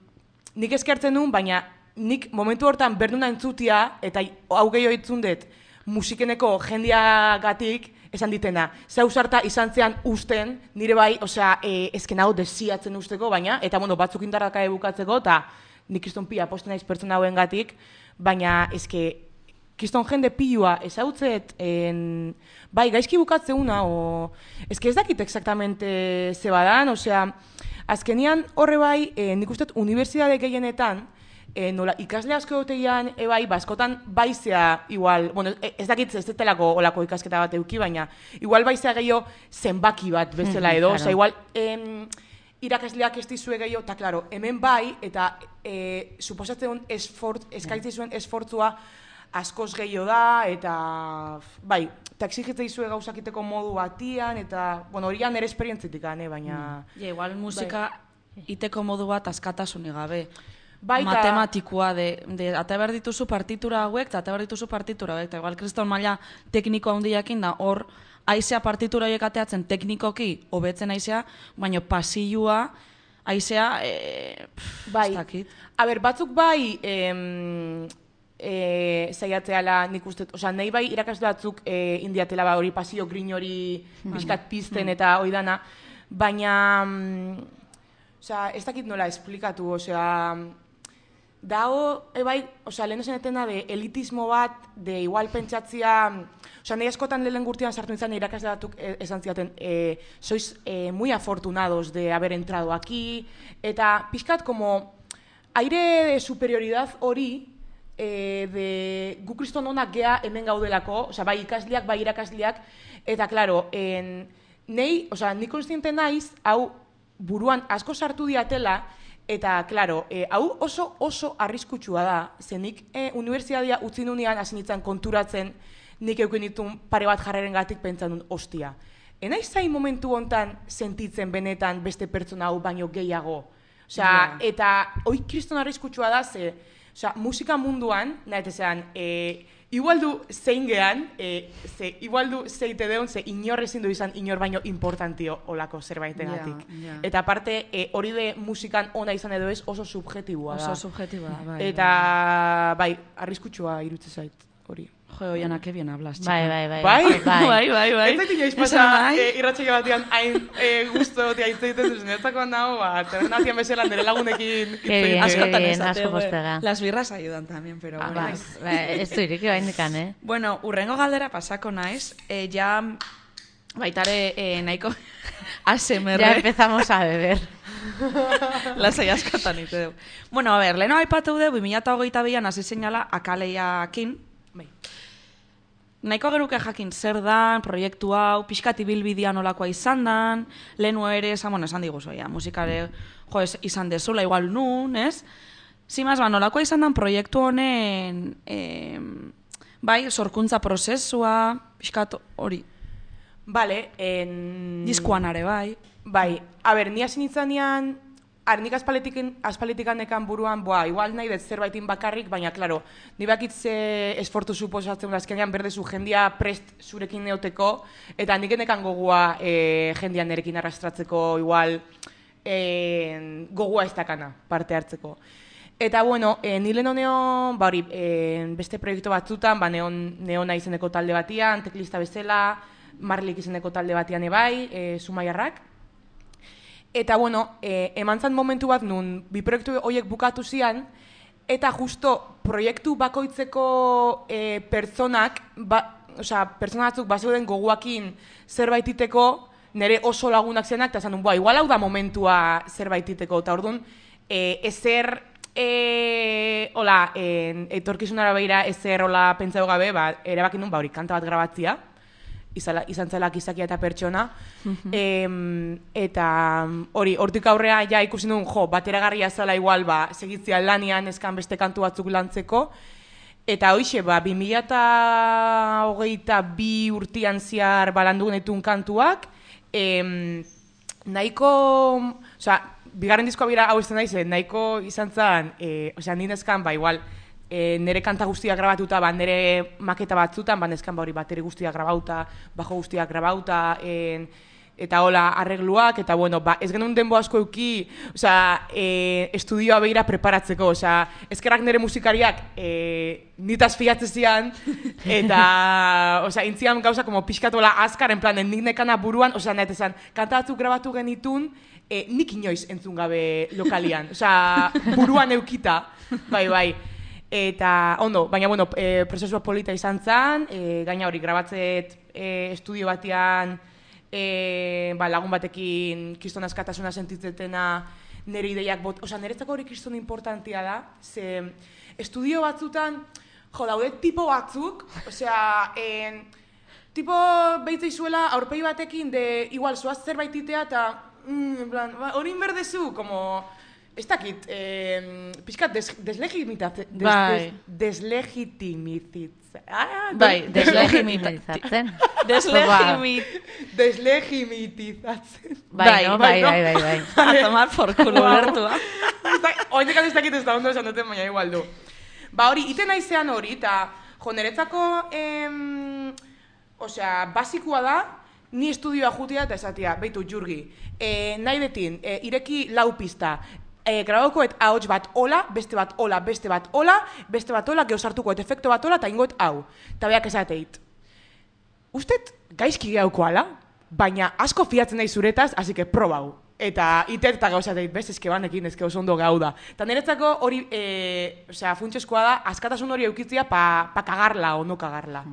nik eskertzen nun, baina nik momentu hortan berduna entzutia, eta hau gehiago itzundet, musikeneko jendiagatik, esan ditena, zauzarta izan zean usten, nire bai, osea, e, ezken hau desiatzen usteko, baina, eta bueno, batzuk indarraka ebukatzeko, eta nik kriston pila posten naiz pertsona hauen gatik, baina ezke, kriston jende pilua ezautzet, en, bai, gaizki bukatzeuna, o, ezke ez dakit exactamente ze badan, osea, azkenian horre bai, e, nik uste unibertsitate gehienetan, E, nola, ikasle asko egotean, ebai, baskotan baizea, igual, bueno, ez dakit ez detelako olako ikasketa bat euki, baina, igual baizea gehiago zenbaki bat bezala edo, Claro. oza, igual, em, irakasleak ez dizue gehiago, eta, klaro, hemen bai, eta e, suposatzen esfort, eskaitzi zuen esfortzua askoz gehiago da, eta, bai, eta exigitze dizue gauzakiteko modu batian, eta, bueno, horian nire esperientzitik, ane, baina... Ja, igual musika iteko modu bat askatasunik gabe. Baita, Matematikoa de, de ate behar dituzu partitura hauek, eta ate behar dituzu partitura hauek, eta igual kriston maila tekniko handiakin da, hor, aizea partitura horiek ateatzen teknikoki hobetzen aizea, baina pasilua, aizea, e, pff, bai. ez dakit. A ber, batzuk bai, em, e, zaiatzeala nik uste, osea, nahi bai irakasle batzuk e, indiatela ba, hori pasio grin hori pixkat pizten eta hori dana, baina, mm, osea, ez dakit nola esplikatu, osea, dago, ebai, osea, lehen esanetena de elitismo bat, de igual pentsatzia, osea, nahi askotan lehen gurtian sartu nintzen irakasle batzuk e, esan ziaten, e, sois e, muy afortunados de haber entrado aquí, eta pixkat como aire de superioridad hori, e, de gu kriston onak gea hemen gaudelako, osea, bai ikasleak, bai irakasleak, eta, klaro, en, nei, osea, nik konstiente naiz, hau buruan asko sartu diatela, eta, klaro, e, hau oso oso arriskutsua da, ze nik e, unibertsitatea utzi nunean hasi nintzen konturatzen, nik eukin ditun pare bat jarreren gatik pentsan duen, ostia. Enaiz zain momentu hontan sentitzen benetan beste pertsona hau baino gehiago. Osea, Ja. eta hoi kriston arriskutsua da, ze, osea, musika munduan, nahi esan, e, igual du zein gehan, e, ze, igual du zeite deun, ze inor ezin du izan inor baino importantio olako zerbaitegatik. Ja, ja. Eta aparte, e, hori de musikan ona izan edo ez oso subjetiboa da. Oso subjetiboa da, bai. Eta, bai, arriskutsua irutze zait, hori. Jo, Oiana, que bien hablas, chica. Bai, bai, bai. Bai? Bai, bai, bai. Ez zait inoiz Esan pasa nahi? e, irratsaio batean hain e, gusto egotea hitz egiten duzen, eztakoan nago, ba, tabernatian bezala nire lagunekin hitz Qué bien, egiten. qué Askotan bien, esate, asko güey. postega. Las birras ayudan también, pero Ah, bueno. ba, ba, ez du iriki bain dikan, eh? Bueno, urrengo galdera pasako naiz, e, ja baitare e, nahiko A S M R. Ya empezamos a beber. Lasai askotan ite dugu. Bueno, a ver, leheno aipatu dugu, bi mila hogeita bian hasi zeinala akaleiakin. Bai. Nahiko geruke jakin zer dan, proiektu hau, pixkat ibilbidea nolakoa izan dan, lehenu ere, esan, bueno, esan diguzu, ja, musikare, jo, ez, izan dezula, igual nun, ez? Zimaz, ba, nolakoa izan dan proiektu honen, eh, bai, sorkuntza prozesua, pixkat hori, Vale, en... diskoan are, bai. Bai, a ber, ni hasi nintzanean, ar, nik aspalitikan nekan buruan, boa, igual nahi dut zerbaitin bakarrik, baina, klaro, ni bakitze esfortu suposatzen azkenean berdezu jendia prest zurekin neoteko, eta nik nekan gogua e, jendia nerekin arrastratzeko, igual, e, gogua ez dakana parte hartzeko. Eta, bueno, e, nile neon, ba hori, e, beste proiektu batzutan, ba, neon, neona izeneko talde batian, teklista bezala, Marlik izeneko talde batian ebai, e, Zumaiarrak. Eta, bueno, e, eman zan momentu bat nun, bi proiektu horiek bukatu zian, eta justo proiektu bakoitzeko e, pertsonak, ba, osea, pertsona batzuk bazeuden goguakin zerbait iteko, nire oso lagunak zenak, eta zanun, boa, igual hau da momentua zerbait iteko, eta orduan, e, ezer, e, hola, e, etorkizunara behira ezer, hola, pentsau gabe, ba, erabakin nun, ba, hori, kanta bat grabatzia, izala, izan zelak izakia eta pertsona, e, eta hori, hortik aurrea ja ikusi duen, jo, bateragarria zela igual, ba, segitzia lanian eskan beste kantu batzuk lantzeko, eta hoixe, ba, bi mila hogeita bi urtian ziar balandu genetun kantuak, e, nahiko, osea, bigarren diskoa bira hau izan daiz, nahiko izan zen, e, osea, ninezkan, ba, igual, E, nere kanta guztiak grabatuta, ba, nere maketa batzutan, ba, neskan ba hori bateri guztiak grabauta, bajo guztiak grabauta, en, eta hola arregluak, eta bueno, ba, ez genuen denbo asko euki, osea, e, estudioa behira preparatzeko, osea, ezkerrak nere musikariak e, nitaz fiatze zian, eta, osea, intzian gauza como pixkatola azkar, en plan, nik nekana buruan, osea, nahet esan, kanta batzuk grabatu genitun, e, nik inoiz entzun gabe lokalian, osea, buruan eukita, bai, bai. Eta, ondo, baina, bueno, e, prozesua polita izan zen, e, gaina hori, grabatzet e, estudio batean, e, ba, lagun batekin kriston askatasuna sentitzetena nire ideiak bot, osea, niretzako hori kriston importantia da, ze estudio batzutan, jo, daude tipo batzuk, osea, en, tipo behitzei zuela aurpegi batekin, de, igual, zoaz zerbait itea, eta, mm, en plan, hori inberdezu, como... Ez dakit, eh, pixkat des, deslegitimizatzen. Des, Bai. des, deslegitimizatzen. Ah, Bai, deslegitimizatzen. Deslegimit. Deslegitimizatzen. Bai, no? bai, bai, bai, bai. A tomar por culo lertua. Oindekan ez dakit ez da ondo esan duten, baina igual du. Ba hori, iten naizean hori, eta jo, niretzako, em, osea, basikoa da, ni estudioa jutia eta esatia, beitu, Jurgi, e, nahi betin, e, ireki lau pista, e, grabakoet ahots bat ola, beste bat ola, beste bat ola, beste bat ola, geosartukoet efekto bat ola, eta ingoet hau. Eta beak esateit. Ustet gaizki gaukoala, baina asko fiatzen nahi zuretaz, hasi que probau. Eta itet eta gauzateit, bez, eske banekin, eske oso ondo gau da. Eta niretzako hori, e, osea, funtsezkoa da, askatasun hori eukitzia pa, pa kagarla o no kagarla.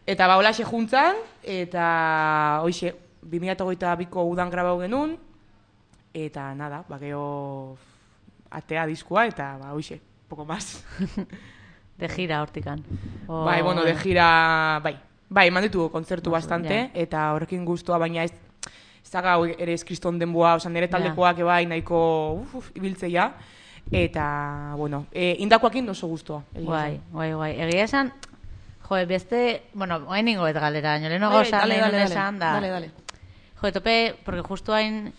Eta ba, holaxe juntzan, eta hoixe, bi mila hogeita biko udan grabau genuen, eta nada, ba, geho atea diskoa, eta ba, hoixe, poco más. De gira hortikan. O... Bai, bueno, de gira, bai, bai, eman ditugu kontzertu Baso, bastante, ja. eta horrekin guztua, baina ez, ez daga ere ez kriston denboa, oza, nire taldekoak ja. Ebai nahiko uf, uf, ibiltzeia, eta, bueno, e, indakoakin oso guztua. Guai, guai, guai. Egia esan, jo, beste, bueno, hain ingoet galera, noleno Bai, gauza, dale, nahi dale, nun dale, esan, da. dale, dale. Jo, tope, porque justo hain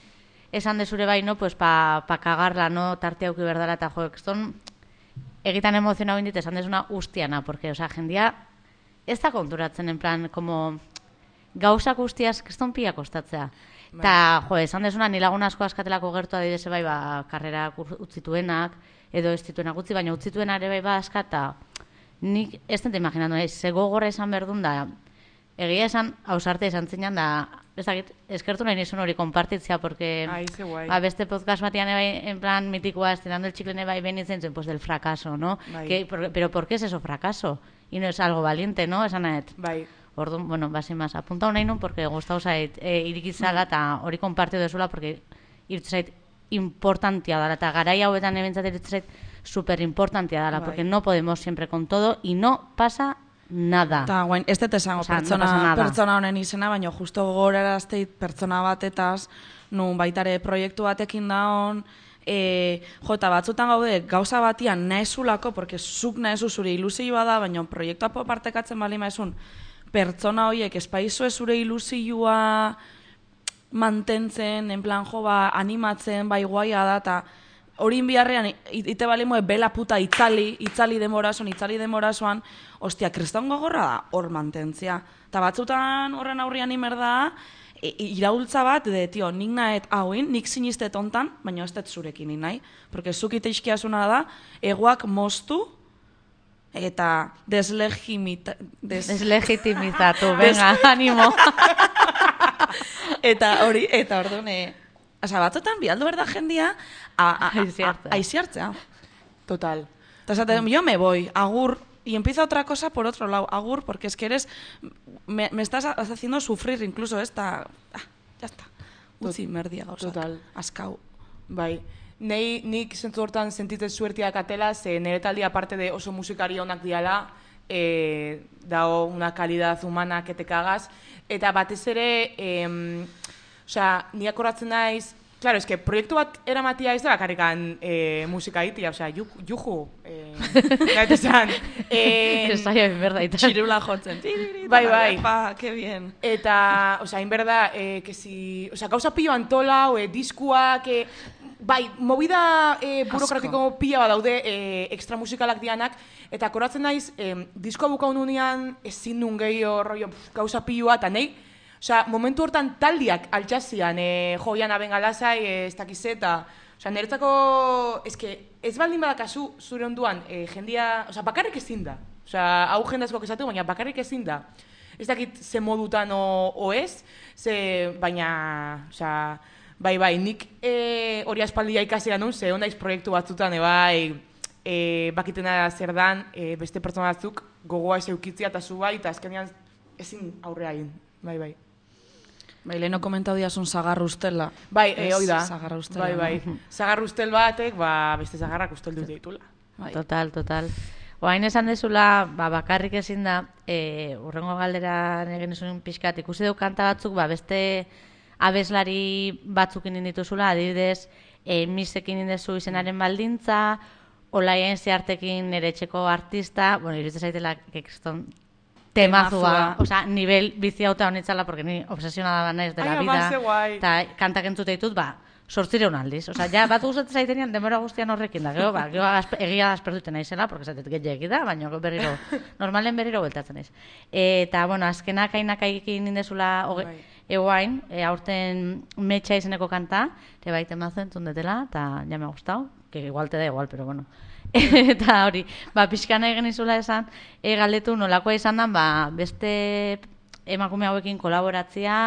esan de zure bai, no, pues pa, pa kagarla, no, tarte hauki berdala, eta jo, ekston, egitan emozionau indit, esan desuna ustiana, porque, o sea, jendia, ez da konturatzen, en plan, como, gauzak ustiaz, kriston pia kostatzea. Eta, jo, esan desuna, ni lagun asko askatelako gertu adibidez bai, ba, karrera utzituenak, edo ez dituenak utzi, baina utzituena ere bai ba askata, nik ez dut imaginatu, eh, ze gogorra esan berdun da, egia esan, hausarte esan zinan da, ez dakit, eskertu nahi nizun hori konpartitzea, porque Ai, ze guai. ba, beste podcast batian ebai, en plan mitikoa, estirando el chicle bai benitzen zuen, pues del fracaso, ¿no? Bai. Que, por, pero ¿por qué es eso fracaso? Y no es algo valiente, ¿no? Esan nahet. Bai. Orduan, bueno, basi más, apuntau nahi nun, porque gustau zait, e, irikitzala, eta hori konpartio dezula, porque iritz zait importantia dala, eta garai hauetan ebentzat iritz zait super importantia dala, Bai. porque no podemos siempre con todo, y no pasa nada. Eta guain, ez dut esango Osea, no pertsona, pasa nada. pertsona honen izena, baina justo gogorarazteit pertsona batetaz, nun baitare proiektu batekin daon, e, jo, eta batzutan gaude gauza batian nahezulako, porque zuk nahezu zure ilusioa da, baina proiektua partekatzen bali maizun, pertsona horiek espaizu zure ilusioa mantentzen, en plan, jo, ba, animatzen, bai guaia da, eta hori biharrean, ite bali moe, bela puta itzali, itzali demorasoan, itzali demorasoan, ostia, kriston gogorra da, hor mantentzia. Eta batzutan horren aurrian imer da, e, iraultza bat, de, tio, nik nahet hauin, nik sinistet ontan, baina ez dut zurekin ni nahi. Porque zuk ite iskiasuna da, egoak moztu, eta deslegimita... Des... Deslegitimizatu, venga, animo. Eta hori, eta orduan, eh, oza, batzutan bialdu berda jendia, aiziartzea. Total. Eta esaten, yo me voy, agur, y empieza otra cosa por otro lado, agur, porque es que eres, me, me estás haciendo sufrir incluso esta, ah, ya está, utzi merdia gauzak. Total. Askau. Bai. Nei, nik zentzu hortan sentitzen zuertiak atela, ze nire taldi aparte de oso musikari onak diala, eh, dao una calidad humana que te cagas, eta batez ere, eh, osea, ni akoratzen naiz, claro, es que proiektu bat eramatia ez da bakarrikan eh, musika itia, osea, juju, juju, eh, gaite zan. Eh, Esaia ben berdaita. Txirula jotzen. Bai, bai. Pa, que bien. Eta, osea, inberda, eh, que si, osea, gauza pilo antola, o, eh, diskuak, eh, bai, movida eh, burokratiko pila bat daude eh, extra musikalak dianak, eta koratzen naiz, eh, diskoa bukaun unean, ezin nun gehiago, rollo, pf, gauza piloa, eta nahi, osea, momentu hortan taldiak altxazian, eh, joian abengalazai, eh, ez dakiz eta, osea, niretzako, eske, ez baldin badakazu zure onduan, eh, jendia, osea, bakarrik ezin da, osea, hau jendazkoak esatu, baina bakarrik ezin da. Ez dakit ze modutan o, o ez, ze, baina, osea, bai, bai, nik e, hori aspaldia ikasera nun, ze ondaiz proiektu batzutan, e, bai, e, bakitena zer dan, e, beste pertsona batzuk gogoa ez eukitzia eta zu bai, eta azkenean ezin aurrea egin, bai, bai. Bai, leheno komentau diazun zagarra ustela. Bai, e, hoi da. Zagarra ustela. Bai, bai. Zagarra ustel batek, ba, beste zagarrak ustel dut ditula. Bai. Total, total. Oain esan dezula, ba, bakarrik ezin da, e, urrengo galderan egin zuen pixkat, ikusi duk kanta batzuk, ba, beste abeslari batzukin indituzula, adibidez, e, misekin indezu izenaren baldintza, olaien zehartekin nire etxeko artista, bueno, iruditzen zaitela, keston temazua, osea, nivel bizi hauta honitzala, porque ni obsesionada naiz de la Ai, vida, ama, ze guai. eta kantak entzute ditut, ba, sortzireun aldiz. Osea, ja, bat gustatzen zaitenean denbora guztian horrekin da. Gero, ba, gero aspe, egia da aspertuten naizela, porque zatet gehiagik da, baina berriro, normalen berriro bueltatzen naiz. Eta, bueno, azkenak ainak aikin indezula, Bai. eguain, e, aurten metxa izeneko kanta, te baiten mazo entzun detela, eta ja me ha gustado, que igual te da igual, pero bueno. Eta hori, ba, pixkana egin izula esan, e, galdetu nolakoa izan da, ba, beste emakume hauekin kolaboratzea,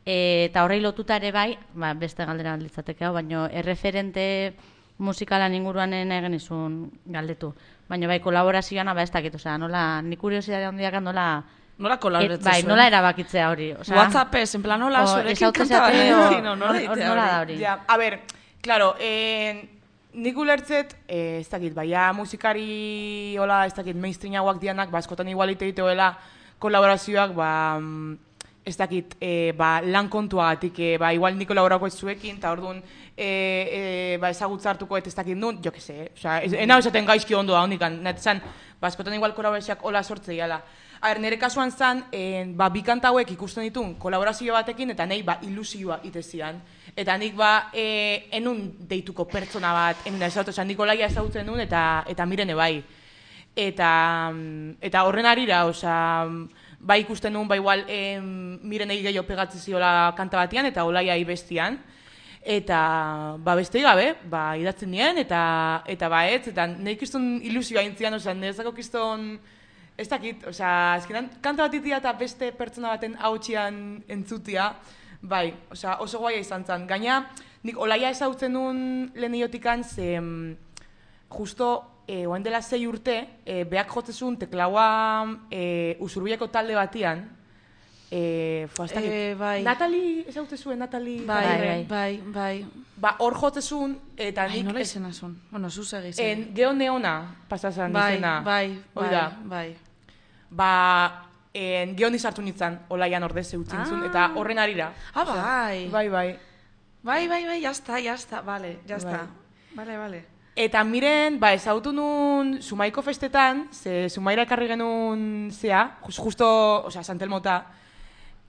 e, eta horrei lotuta ere bai, ba, beste galdera litzateke hau, baina erreferente musikalan inguruanen egin izun galdetu. Baina bai, kolaborazioan, ba, ez dakit, osea, nola, nik kuriosidade handiak nola, Nola kolaboratzen bai, zuen? nola erabakitzea hori, osea, WhatsAppez, en plan, nola, o, zurekin esaute kanta bat zate, egin, o- no, hor- nola egitea nola da hori? hori. Ja, a ber, claro, eh, nik ulertzet, eh, ez dakit, baina musikari, hola, ez dakit, mainstreamagoak dianak, ba, askotan igual ite dituela kolaborazioak, ba, mm, ez dakit, eh, ba, lan kontuagatik, eh, ba, igual nik kolaborako ez zuekin, eta orduan, eh, eh, ba, ezagutza hartuko ez dakit nun, jo que se, eh? Osea, ez, enau esaten gaizki ondo da hondikan, nahi zan, ba, askotan igual kolaborazioak hola sortze diala. A ber, nire kasuan zan, eh, ba, bi kanta hauek ikusten ditun kolaborazio batekin, eta nahi, ba, ilusioa itezian. Eta nik, ba, eh, enun deituko pertsona bat, enun da ezautu, esan Nikolaia ezautzen nun, eta, eta mirene bai. Eta, mm, eta horren arira, osea, bai ikusten nun, ba, igual, eh, mirenei gehiago pegatzen ziola kanta batean, eta Olaia bestian. Eta, ba, beste gabe, ba, idatzen nien, eta, eta ba, ez, eta nahi kiston ilusioa intzian, osea, nerezako kiston, ez dakit, osea, azkenan, kanta bat itia eta beste pertsona baten hautsian entzutia, bai, osea, oso guaia izan zen. Gaina, nik Olaia ezautzen nun lehen iotikan, ze, mm, justo, e, oain dela zei urte, e, beak jotzezun teklaua e, Usurbileko talde batian, e, fo, ez dakit, Eh, bai. Natali ezautzezuen, Natali... Bai, Bai, bai, bai. bai. Ba, hor jotzezun, eta Ai, nik... nola ez- izena zuen? Bueno, zuz egiz. En Geo Neona pasazan Bai, izena. bai, Hoi bai, da. bai. Ba, en Geoni sartu nintzen, Olaian ordez eutzen zuen, Ah. eta horren arira. Ah, bai. Bai, bai. Bai, bai, bai, ya está, ya está, vale, ya Bai. está. Vale, vale. Eta miren, ba, ezautu nun Sumaiko festetan, ze Sumaira ekarri genuen zea, just, justo, osea, Santelmota,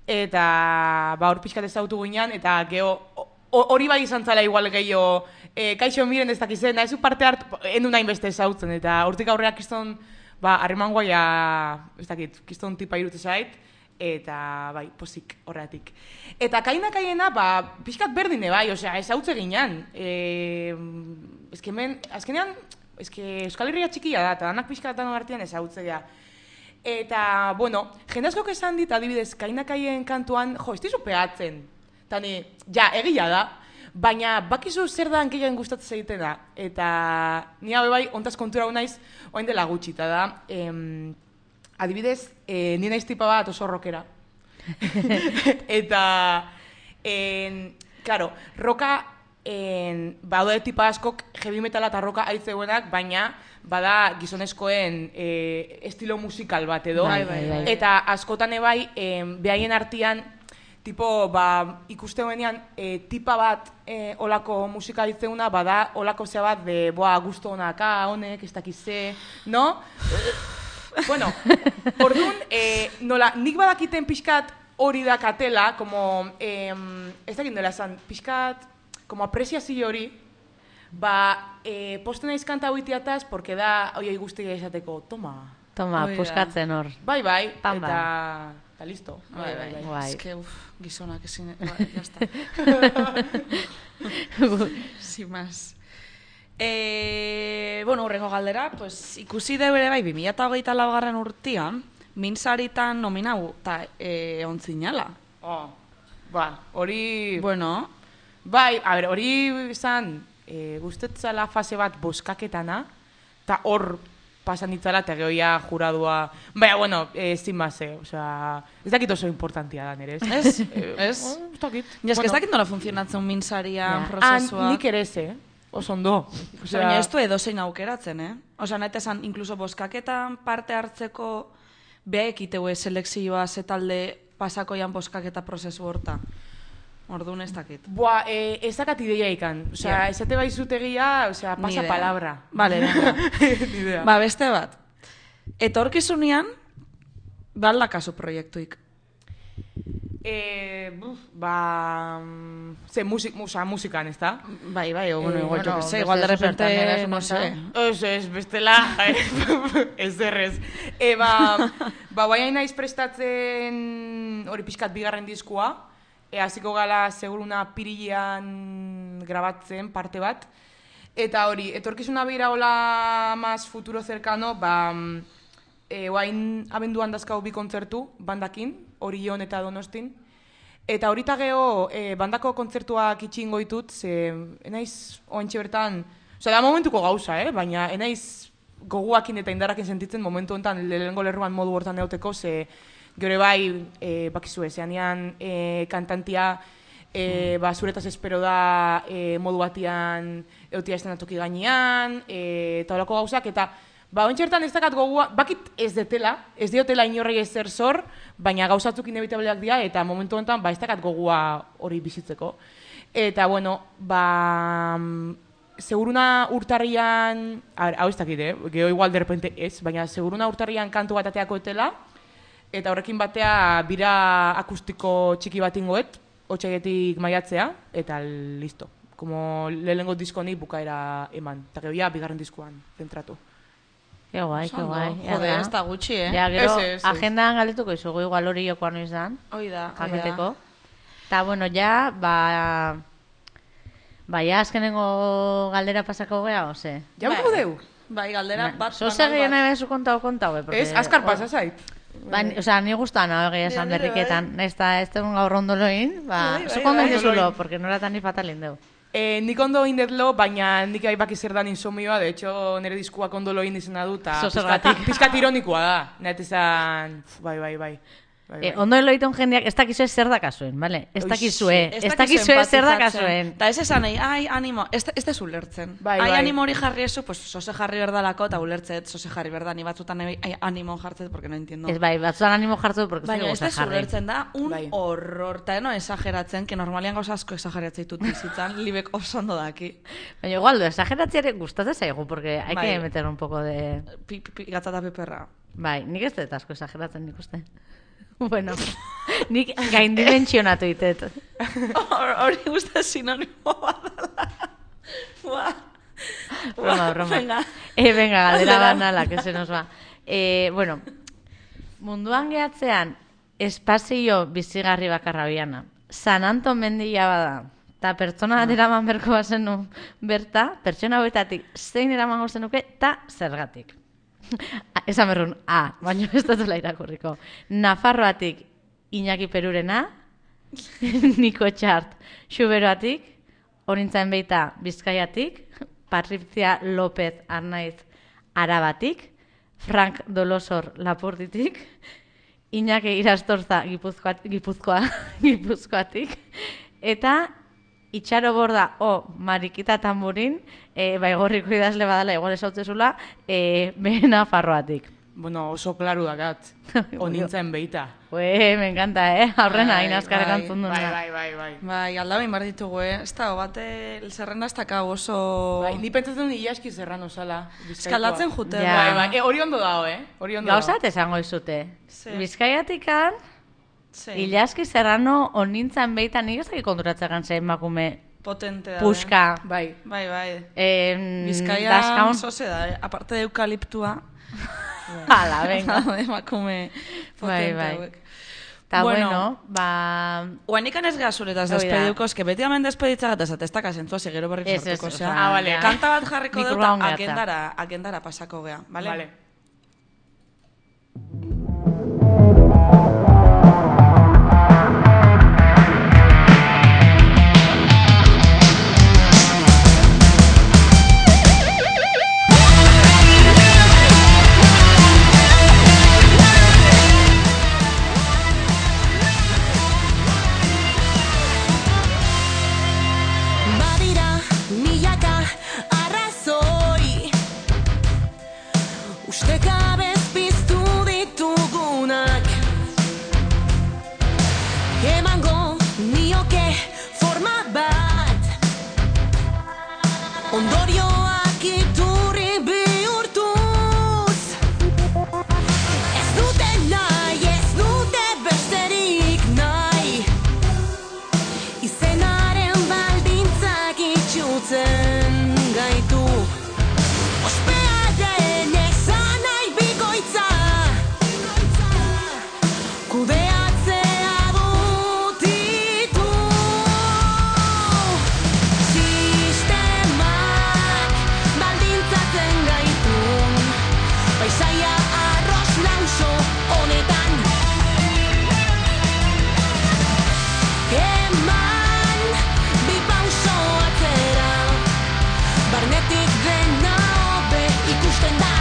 eta ba hor pixkat ezautu ginean, eta geho hori bai izan zala igual gehiago, e, kaixo miren ez dakizen, nahizu parte hartu, endu nahi beste ezautzen, eta hortik aurrea kiston, ba, harreman guaia, ez dakit, kiston tipa irute zait, eta bai, posik horretik. Eta kainakaiena, ba, pixkat berdine bai, osea, ezautze ginean, e, ezkemen, azkenean, ezke Euskal Herria txikia da, eta danak pixkat danon artean ezautzea. Eta, bueno, jende askok esan dit, adibidez, kainakaien kantuan, jo, ez dizu pegatzen. Tani, ja, egia da, baina bakizu zer da hankeian gustatzen egiten da. Eta ni hau bai, ontaz kontura hau naiz, oain dela gutxi, eta da, em, adibidez, e, ni naiz tipa bat oso rockera. Eta, en, claro, roka, en, badode tipa askok heavy metala eta roka aitzeuenak, baina bada gizonezkoen e, estilo musikal bat edo. Bai, bai, bai. Eta askotan ebai, em, behaien artean, tipo, ba, ikuste hoenean, e, tipa bat e, olako musika ditzeuna, bada olako zea bat, de, boa, gusto honaka, honek, ez dakize, no? Bueno, orduan, e, nola, nik badakiten pixkat hori dakatela, como, e, ez dakit nola esan, pixkat, como apreziazio hori, ba, e, posten naiz kanta huitiataz, porque da, oioi guztia esateko, toma. Toma, Hoi da. puskatzen hor. Bai, bai, Pamba. eta... Eta listo. Bai, bai, bai. Guai. Ez que, uf, gizonak ezin, bai, jazta. Sin más. E, bueno, urrengo galdera, pues, ikusi deu ere bai, bi mila hogeita laugarren urtian, minsaritan nominau, eta e, ontzinala. Oh, ba, hori... Bueno, Bai, a ber, hori izan, e, gustetzala fase bat boskaketana, eta hor pasan ditzala, eta gehoia juradua... Baina, bueno, eh, zin base, osea... Ez dakit oso importantia da nire, ez? Ez? Eh, Ez? oh, Ez dakit. ja, ez que ez dakit nola funtzionatzen minsarian Ja. prozesua. Ah, nik ere ez, eh? Oso ondo. Osea, baina ez du edozein aukeratzen, eh? Osea, nahi esan, inkluso boskaketan parte hartzeko behaek iteue selekzioa zetalde pasakoian boskaketa prozesu horta. Orduan ez dakit. Boa, eh, ez dakat ideia ikan. Osea, Ja. esate bai zutegia, osea, Ni pasa idea. palabra. Vale, venga. Ni idea. Ba, beste bat. Etorkizunean, balda kasu proiektuik. Eh, buf, ba... mm, Ze, musik, musa, musikan, ez da? Bai, bai, o, bueno, Eh, igual, yo bueno, que sé, beste igual de zertan, repente, era no sé. Ez, ez, bestela, ez errez. E, ba, ba, guai naiz prestatzen hori pixkat bigarren diskua, e, hasiko gala seguruna pirilean grabatzen parte bat, eta hori, etorkizuna bira hola más futuro cercano, ba, e, guain abenduan dazkau bi kontzertu, bandakin, Orion eta Donostin, eta horita geho, e, bandako kontzertuak itxingo ditut, ze enaiz oantxe bertan, osea, da momentuko gauza, eh? Baina enaiz goguakin eta indarrakin sentitzen momentu honetan lehenengo lerruan modu hortan neuteko, ze gero bai, e, bakizue, zeanean e, kantantia, e, ba, zuretaz espero da e, modu batian eutia estenatoki gainean, e, eta horako gauzak, eta ba, ontxertan ez dakat gogua, bakit ez detela, ez diotela inorrei ezer zor, baina gauzatzuk inevitableak dira, eta momentu honetan, ba, ez dakat gogua hori bizitzeko. Eta, bueno, ba, seguruna urtarrian, a ver, hau ez dakit, eh? Geho igual de repente ez, baina seguruna urtarrian kantu bat ateako etela, eta horrekin batea bira akustiko txiki bat ingoet, otxegetik maiatzea, eta listo. Como lehenengo disko honi bukaera eman, eta geho ja, bigarren diskoan zentratu. Ke guai, ke guai. Jode, ez da gutxi, eh? Ja, gero, Ez, ez, ez. agendan galdetuko izugu igual hori jokoan noiz dan, Hoi da, hoi da. jaketeko. Eta, bueno, ja, ba... Ba, ja, azkenengo galdera pasako gea, ose? Ja, Bai. buko deu? Bai, galdera bat. Zo banal segien bat. nahi bezu kontau, kontau, eh? porque- Ez, azkar pasa zait. Ba, ni- osea, ni gustan hau egia esan Nire bai. berriketan. Ez da, ez tegun gaur ondoloin, ba, Bai, bai, zuko ondo bai. indezulo, porque noratan ni fatalin deu. Eh, nik ondo indetlo, baina nik bai baki zer dan insomioa, de hecho, nire diskuak ondo loin izena du, eta Zo pizkat, zergatik. pizkat ironikoa da. Net esan, uf, bai, bai, bai. bai, Eh, bai. ondo eloitun jendeak ez dakizue zer dakazuen, bale? Ez Oix, dakizue, Ez ez dakizue zer empatizatzen. dakazuen. Ta ez esan, nahi, ai, animo, ez ez dezu ulertzen. Bai, ai, bai. animo hori jarri ezu, pues, sose jarri berdalako, eta ulertzet, sose jarri berda, ni batzutan nahi, ai, animo jartzet, porque no entiendo. Ez bai, batzutan animo jartu, porque Baina zuke ez gusta dezu jarri. ulertzen da, un Bai. horror, eta no exageratzen, que normalian gauza asko exageratzen ditut bizitzan, libek oso ondo daki. Baina igual, exageratziare gustatzen zaigu, porque hay Bai. que meter un poco de... Pi, pi, pi, gatzata piperra. Bai, nik ez dut asko exageratzen nik uste. Bueno, nik gaindimentsionatu ditet. Hori guzti sinonimo bat dela. Buah. Broma, broma. Venga. Eh, venga, galdera Galdera. banala, que se nos va. Eh, bueno, munduan gehatzean espazio bizigarri bakarra biana. San Anton mendia bada. Ta pertsona bat eraman berko bazenu berta, pertsona hauetatik zein eramango zenuke, ta zergatik. Esan berrun, A, baina ez dutela irakurriko. Nafarroatik Iñaki Perurena, Niko Txart Xuberoatik, Orintzain Beita Bizkaiatik, Patricia López Arnaiz Arabatik, Frank Dolosor Lapurditik, Iñaki Irastorza Gipuzkoa, Gipuzkoa, Gipuzkoatik, eta Itxaro Borda o Marikita Tamburin, e, baigorriko idazle badala, igual esautzezula, e, behena Farroatik. Bueno, oso klaru dakat. Onintzen beita. Ue, me encanta, eh? Aurrena, Bai, hain azkarek bai, antzun duna. Bai, bai, bai, bai. Bai, aldabein behar ditugu, eh? Ez da, bate, zerrenda ez dakau oso... Bai, ni pentsatzen Ilaski Serrano zala. Bizkaikoa. Eskaldatzen jute. Ja. Bai, bai, e, hori ondo dago, eh? Hori ondo Gauzat dago. esango izute. Ze. Bizkaiatikan, Sí. Ilaski Serrano onintzan beita nik ez dakik konturatzekan zein emakume Potente da. puska. Bai. Bai, bai. Eh, Bizkaia daskaun. zoze da, eh? Aparte de eukaliptua. Hala, venga. Emakume Bai, potente bai. hauek. Ta Bueno. bueno, ba... Oanikan ez geha zuretaz Hoi da. despediuko, eske beti hemen despeditza ez ez taka zentzua gero berri Ez, ez, sortuko, osea, osea. Ah, vale. ja. Kanta bat jarriko Nik dut, urbaun gehatza. agendara, agendara pasako gea, vale? Vale. Badira milaka arrazoi ustekabez piztu ditugunak emango nioke forma bat ondorioak iturri bihurtuz ez dute nahi, ez dute besterik nahi izenaren baldintzak itxutzen gaitu ospearen ezan nahi bikoitza kudeatzea dut ditu sistemak baldintzatzen gaitu paisaia arroz lauso honetan eman bi pauso atzera barnetik dena hobe ikusten da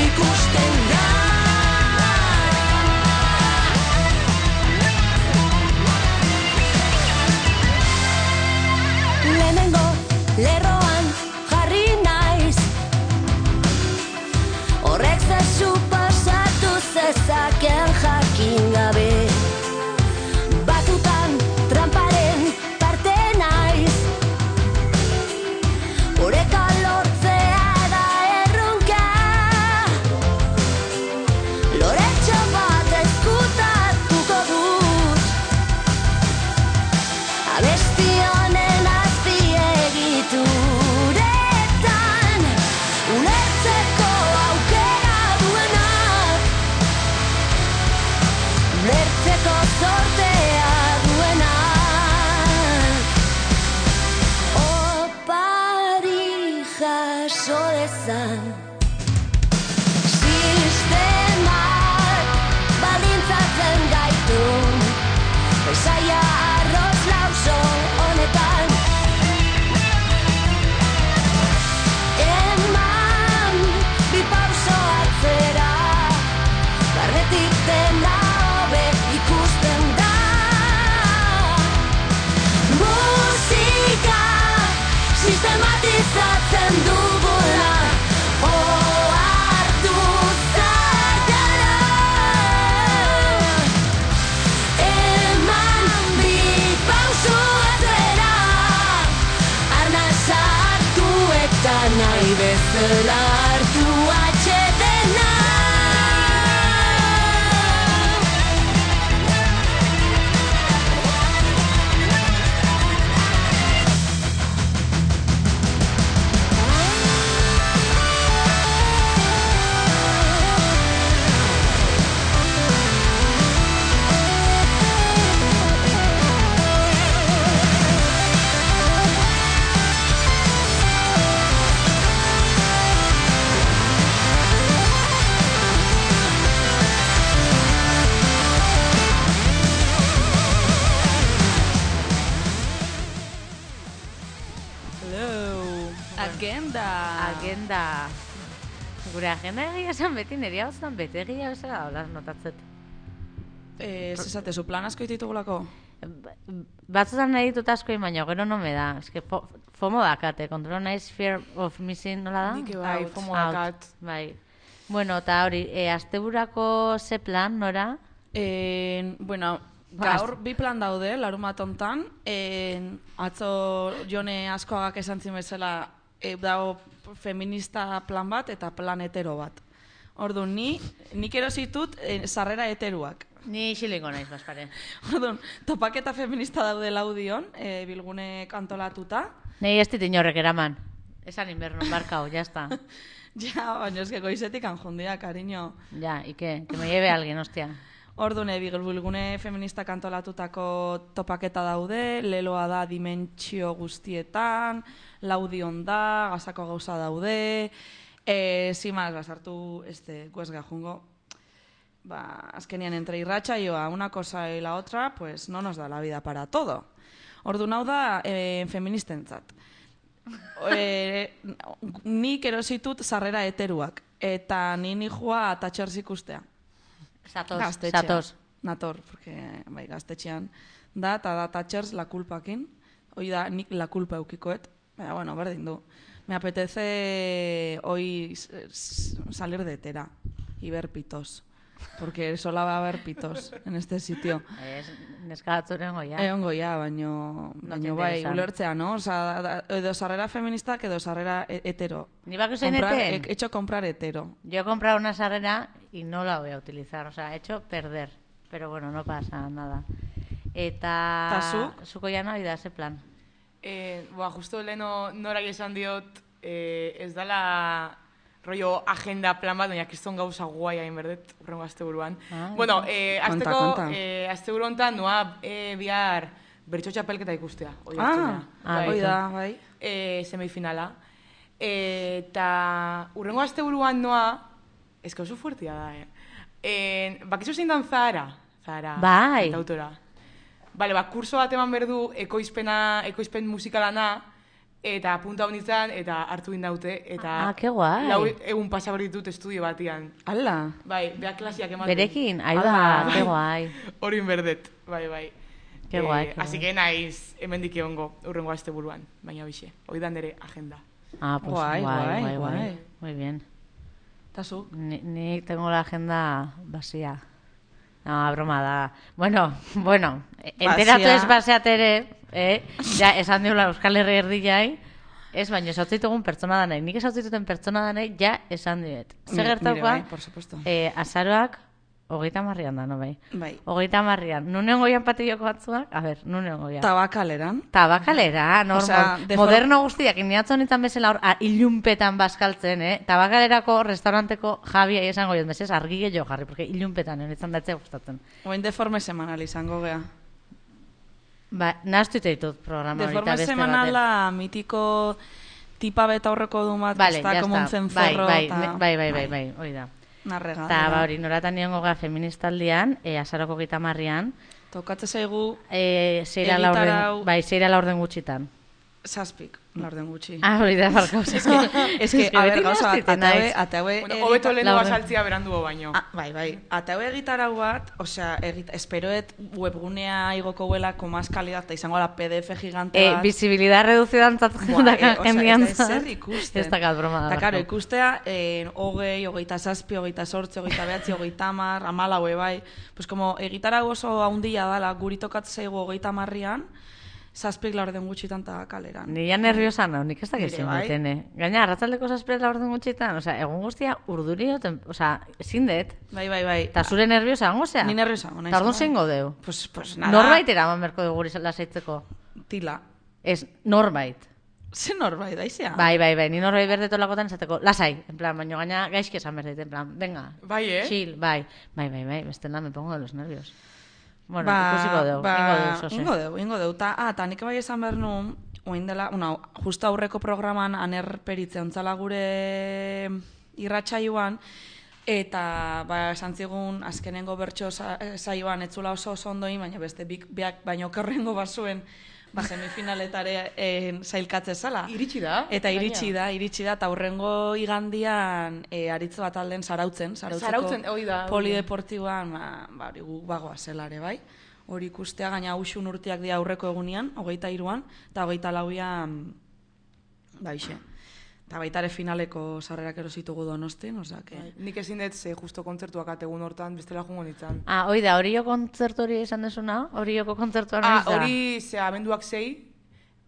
ikusten da lehenengo lerroan jarri naiz horrek zer suposatu zezaken jakin gabe batutan tramparen parte naiz oreka lortzea da erronka loretxo bat ezkutatuko dut abesti honen azpiegituretan ulertzeko aukera duenak ulertzeko zortea duenak opari jaso dezan sistemak baldintzatzen gaitu paisaia arroz lauso honetan eman bi pauso atzera barnetik dena hobe ikusten da musika sistematizatzen dugula ohartu zaiala eman bi pauso atzera arna sartu eta nahi bezala hartu atxeden agenda... Gure agenda egia esan beti niri hau zen beti egia bezala hola notatzet. Eh, ez esatezu, plan asko ditugulako? Batzutan nahi ditut asko baina gero no me da. Eske fo, fomo dakate, kontrolo naiz fear of missing nola da? Nik bai, Out. fomo Out, dakat. Bai. Bueno, eta hori, e, asteburako ze plan, nora? Eh, bueno, gaur bi plan daude, larumat hontan. Eh, atzo Jone Askoagak esan zin bezala e, dago feminista plan bat eta plan hetero bat. Orduan, ni, nik erositut e, sarrera heteruak. Ni xilingo naiz, baspare. Orduan, topaketa feminista daude laudion, e, bilgune antolatuta. Nei ez dit inorrek eraman. Esan inberno, markau, ya está. Ja, baina eske goizetik anjundia, cariño. Ja, y que, que me lleve alguien, hostia. Orduan, e, bilgune feminista antolatutako topaketa daude, leloa da dimentsio guztietan, laudion da, gazako gauza daude, e, zimaz, basartu, este, guesga jungo, ba, azkenian entre irratsaioa una cosa y la otra, pues no nos da la vida para todo. Orduan hau da e, feministentzat. E, nik erositut sarrera heteruak, eta ni nijua tatxers ikustea. Satos, Gaztetxean. satos. Nator, porque bai, gaztetxean da, eta da tatxers la culpakin. Hoi da, nik la culpa eukikoet. Baina, bueno, berdin du. Me apetece hoy s- s- salir de Tera y ver pitos. Porque sola va a haber pitos en este sitio. Ez, neska batzuren goia. Egongo ja, baino, baino te bai, interesan. ulertzea, no? Osa, da- edo sarrera feministak edo sarrera e- hetero. Ni bako zein Comprar- eten? he hecho comprar hetero. Yo he comprado una sarrera y no la voy a utilizar, o sea, he hecho perder. Pero bueno, no pasa nada. Eta... Ta zuk? Zuko ja nahi da, ze plan. Eh, ba, justo leheno norai esan diot, eh, ez dala rollo agenda plan bat, baina kriston gauza guai hain berdet, urrengo asteburuan. Ah, bueno, eh, Konta, azteko, konta. eh, asteburu hontan noa eh, bihar bertso txapelketa ikustea. Oi Ah, hartzuna. Ah, hoi bai. da, bai. eh, semifinala. Eh, eta urrengo asteburuan noa, ez oso fuertia da, eh? Eh, bakizu zein dan Zahara? Zahara, Bai. kantautora. Bale, ba, kurso bat eman berdu ekoizpena, ekoizpen musikalana, eta punta honitzen, eta hartu indaute, eta Ah, ke guai. lau egun pasa behar ditut estudio batian. Ala, Bai, beha klasiak ematen. Berekin, ahi Ala, da, bai. ke guai. Hori berdet, bai, bai. Ke guai, ke Así guai. que naiz, hemendik egongo, urrengo asteburuan, baina bixe. Hoi da nire agenda. Ah, pues Guai, guai, guai, guai, guai. guai. Muy bien. eta zu? Ni, ni tengo la agenda vacía. No, broma da. Bueno, bueno, enteratu Vacía. ez baseatere, eh? Ja, esan diula Euskal Herri erdilai, ez, baina esatzitugun pertsona da nahi. Nik esatzituten pertsona da nahi, ja, esan diet. Zer Nire gertaukoa, bai, por supuesto. eh, azaroak, hogeita marrian da, no bai? Bai. Hogeita marrian. Nunen goian patilloko batzuak? A ber, nunen goian. Tabakaleran. Tabakalera, normal. Osea, de Moderno guztiak, iniatzen nintzen bezala hor, a, ilunpetan bazkaltzen, eh? Tabakalerako restauranteko Javi esango jot, mesez, argi gehiago jarri, porque ilunpetan nintzen datzea gustatzen. Oin deforme semanal izango gea. Ba, nahaztu ditut programa horita Deforme beste baten. semanala mitiko tipa beta horreko du bat, Vale, ez da, ya como un está. Bai, cencerro, bai, eta... ne- bai, bai, bai, bai, hori da. Narrega. Eta, ba, hori, noratan niongo ga feministaldian, e, azaroko gita marrian, Tokatze zaigu e, zeira Egitarau- laurden, bai, zeira laurden gutxitan. zazpik, laurden gutxi. Ah, hori da, barkauz. Es que, es que, a ver, beti gauza bat, nahaztiten ate haue, naiz. ate haue... Bueno, egita- hobeto lehen laurden. azaltzia beranduo baino. Ah, bai, bai. Ate haue egitarau bat, osea, egit, esperoet webgunea igoko huela, komaz kalidad, eta izango la P D F gigante Eh, bat. visibilidad reducida antzat Buah, daka eh, osea, jendian. ez da ezer ikusten. Ez dakat broma da. Eta, karo, barkau. ikustea, eh, hogei, hogeita zazpi, hogeita sortzi, hogeita behatzi, hogeita mar, amalaue, bai. Pues, como egitarau oso haundia dala, guri tokatzen zaigu hogeita marrian, zazpik laurden gutxitan eta kaleran. Ni ja nerviosa nau, nik ez dakit Nire zein bai. baitene. Gaina, arratzaldeko zazpire laurden gutxitan, osea, egun guztia urduri joten, osea, ezin dut. Bai, bai, bai. Eta zure nerviosa, hango zea? Ni nerviosa, naiz. Eta orduan bai. zeingo deu? Pues, pues nada. Norbait eraman berko dugu guri lasaitzeko. Tila. Ez, norbait. Ze norbait, daizea? Bai, bai, bai, ni norbait berdetolakotan esateko, lasai, en plan, baino gaina gaizki esan berdeit, en plan, venga, Bai, eh? chill, bai, bai, bai, bai, bestela me pongo de los nervios. Bueno, Ba, ikusiko dugu, ba, ingo dugu, zose. Ingo dugu, ingo dugu. Ta, ah, ta nik bai esan behar nuen, oin dela, una, justo aurreko programan aner peritze ontzala gure irratsaioan, eta ba, esan zigun azkenengo bertso sa- saioan etzula oso oso ondoin, baina beste bik, beak baino kerrengo bazuen ba, semifinaletare eh, zailkatze zala. Iritsi da. Eta iritsi gainera. da, iritsi da, eta hurrengo igandian e, aritz bat alden zarautzen, zarautzeko Zarautzen, hori da, hori da. polideportiboan, ba, ba, hori gu bagoa zelare, bai? Hori ikustea, gaina uxun urteak dira aurreko egunean, hogeita iruan, eta hogeita lauian, ba, ixe. Eta baita ere finaleko sarrerak erositugu Donostin, osake. Bai, nik ezin dut ze justo kontzertuak ategun hortan, bestela jungo nintzen. Ah, hoi da, hori kontzertu hori esan desuna? Hori kontzertua Ah, noiz da? hori, ze abenduak zei.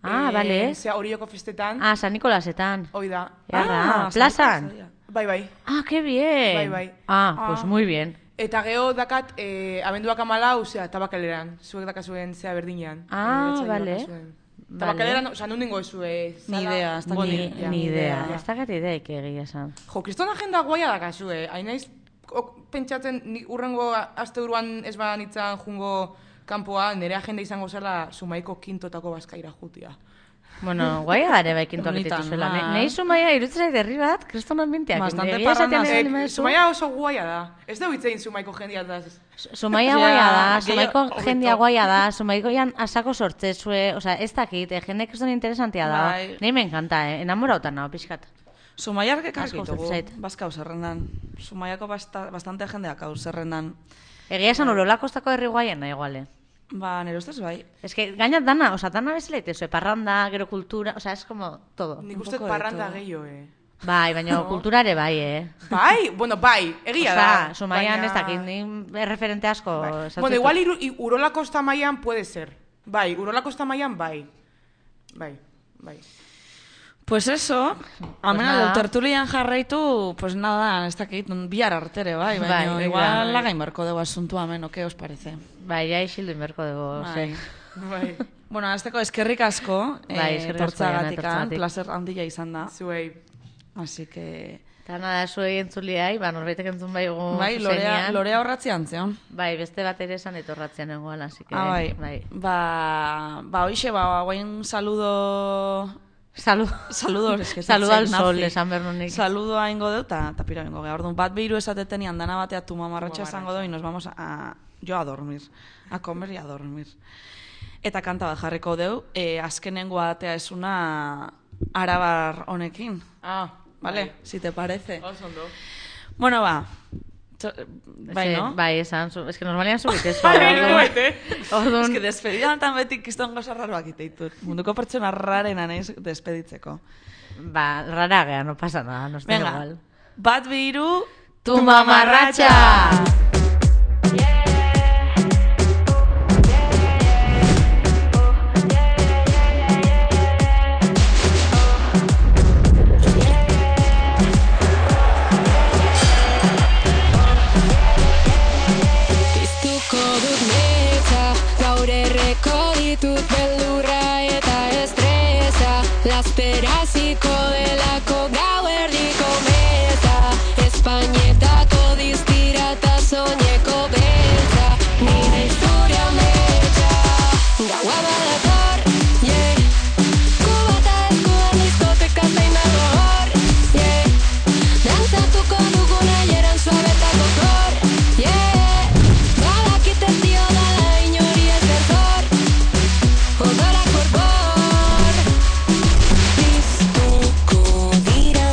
Ah, eh, bale. Ze horioko festetan. Ah, San Nikolasetan. Hoi da. Jarra, Ah, plazan. Bai, bai. Ah, qué bien. Bai, bai. Ah, Ah. pues muy bien. Eta geho dakat, eh, abenduak amalau, zea, tabakaleran. Zuek dakazuen zea berdinean. Ah, Eh, bale. dakazuen. Vale. Tabakaleran, oza, nun dingo ezue. Ni idea, ez dakit. Ni, ja, ni idea. ja. Ez dakat ideik egia esan. Jo, kriston agenda guaia dakazue. Hain naiz, ok, pentsatzen, ni urrengo aste buruan ez ba nitzan jungo kanpoa, nire agenda izango zela Zumaiko kintotako bazkaira jutia. Bueno, guaia gare bai kintuak Bonitan, dituzuela. bai. Nei Zumaia irutzen zait herri bat, kriston ambienteak. Bastante Egia esaten parranda. ez Eh, baldin baduzu. Zumaia oso guaia da. Ez dugu itzein Zumaiko jendia da. Zumaia Ja, guaia da, gehiago- Zumaiko hobeto. jendia guaia da, Zumaikoian asako sortzezue, osea, ez dakit, eh, jende kriston interesantia da. Bai. Nei me encanta, eh, enamorautan nao, pixkat. Zumaiak ekarrik Asko ditugu, zait. bazkau zerrendan. Zumaiako basta, bastante jendeak hau zerrendan. Egia esan Urola Kostako herri guaiena iguale. Ba, nire ustez bai. Es que gaina dana, osea, dana bezala itezue, parranda, gero kultura, osea, es como todo. Nik Un uste poco de parranda todo. gehiago, eh. Bai, baina kulturare bai, eh. Bai, bueno, bai, egia Osea, da. Zumaian baina- ez dakit, ni referente asko. Bai. sartu Bueno, ditut. igual iru, i, Urola Kosta mailan puede ser. Bai, Urola Kosta mailan bai. Bai, bai. Pues eso, amena nada. pues tertulian jarraitu, pues nada, ez dakit, bihar artere, bai, Bai, baina bai, igual bai. lagain barko dugu asuntua hemen, o, ¿qué os parece? Bai, ja isildu inberko dugu, Bai. ze. Bai, Bueno, azteko eskerrik asko, Bai, eh, eskerrik asko, Jana, etortzagatikan, etortzagatik. placer handia izan da. zuei. Así que, Eta nada, zuei entzuliai, ba, norbaitek entzun baigu bai, lorea, zuzenean. lorea horratzean zeon. Bai, beste bat ere esan etorratzean egoan, así que... Ah, bai. bai. Ba, ba, hoxe, ba, guain saludo... Salud. Saludos, es que ez Saludo zait al sol, nazi. esan behar nunik. Saludoa ingo dut, eta ta pira ingo geha. Orduan, bat behiru esatetenian dana batea tu mamarratxa Mamarratxa. esango do, y nos vamos a, a, yo a dormir. A comer y a dormir. Eta kanta bat jarriko deu, eh, azkenengo atea esuna arabar honekin. Ah, Vale, si te parece. Oso ondo. Bueno, ba. Txo- Bai, Ze, no? Bai, esan, zu, es que normalian zubit ez. Bai, orduan- nuet, eh? orduan- Es que despedidan tan beti kiston goza raroak iteitut. Munduko pertsona rarena naiz despeditzeko. Ba, rara gea, no pasa nada, nos da Venga, igual. bat bihiru, Tu mamarratxa! Piztuko dut metza, gaur erreko ditut beldurra eta estresa. Lasperaziko delako gau erdiko meza, Espainietako diztira eta soñeko beltza, nire historia metza. Gaua badator, yeah, kubata eskuan diskoteka zein dago hor, yeah, dantzatuko dugu nahieran suabetako kor, yeah, badakit ez dio dala inori ez erzor, odorak borbor. Piztuko dira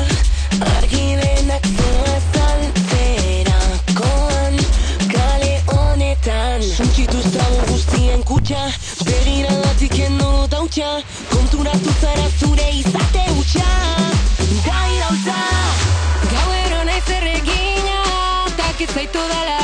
argi denak zoazaltzerakoan kale honetan. Suntsitu zago guztien kutxa, begiragatik endo tautxa, konturatu zara zure izate hutsa. Da irautza, gauero naiz erregina, takit zaitu dala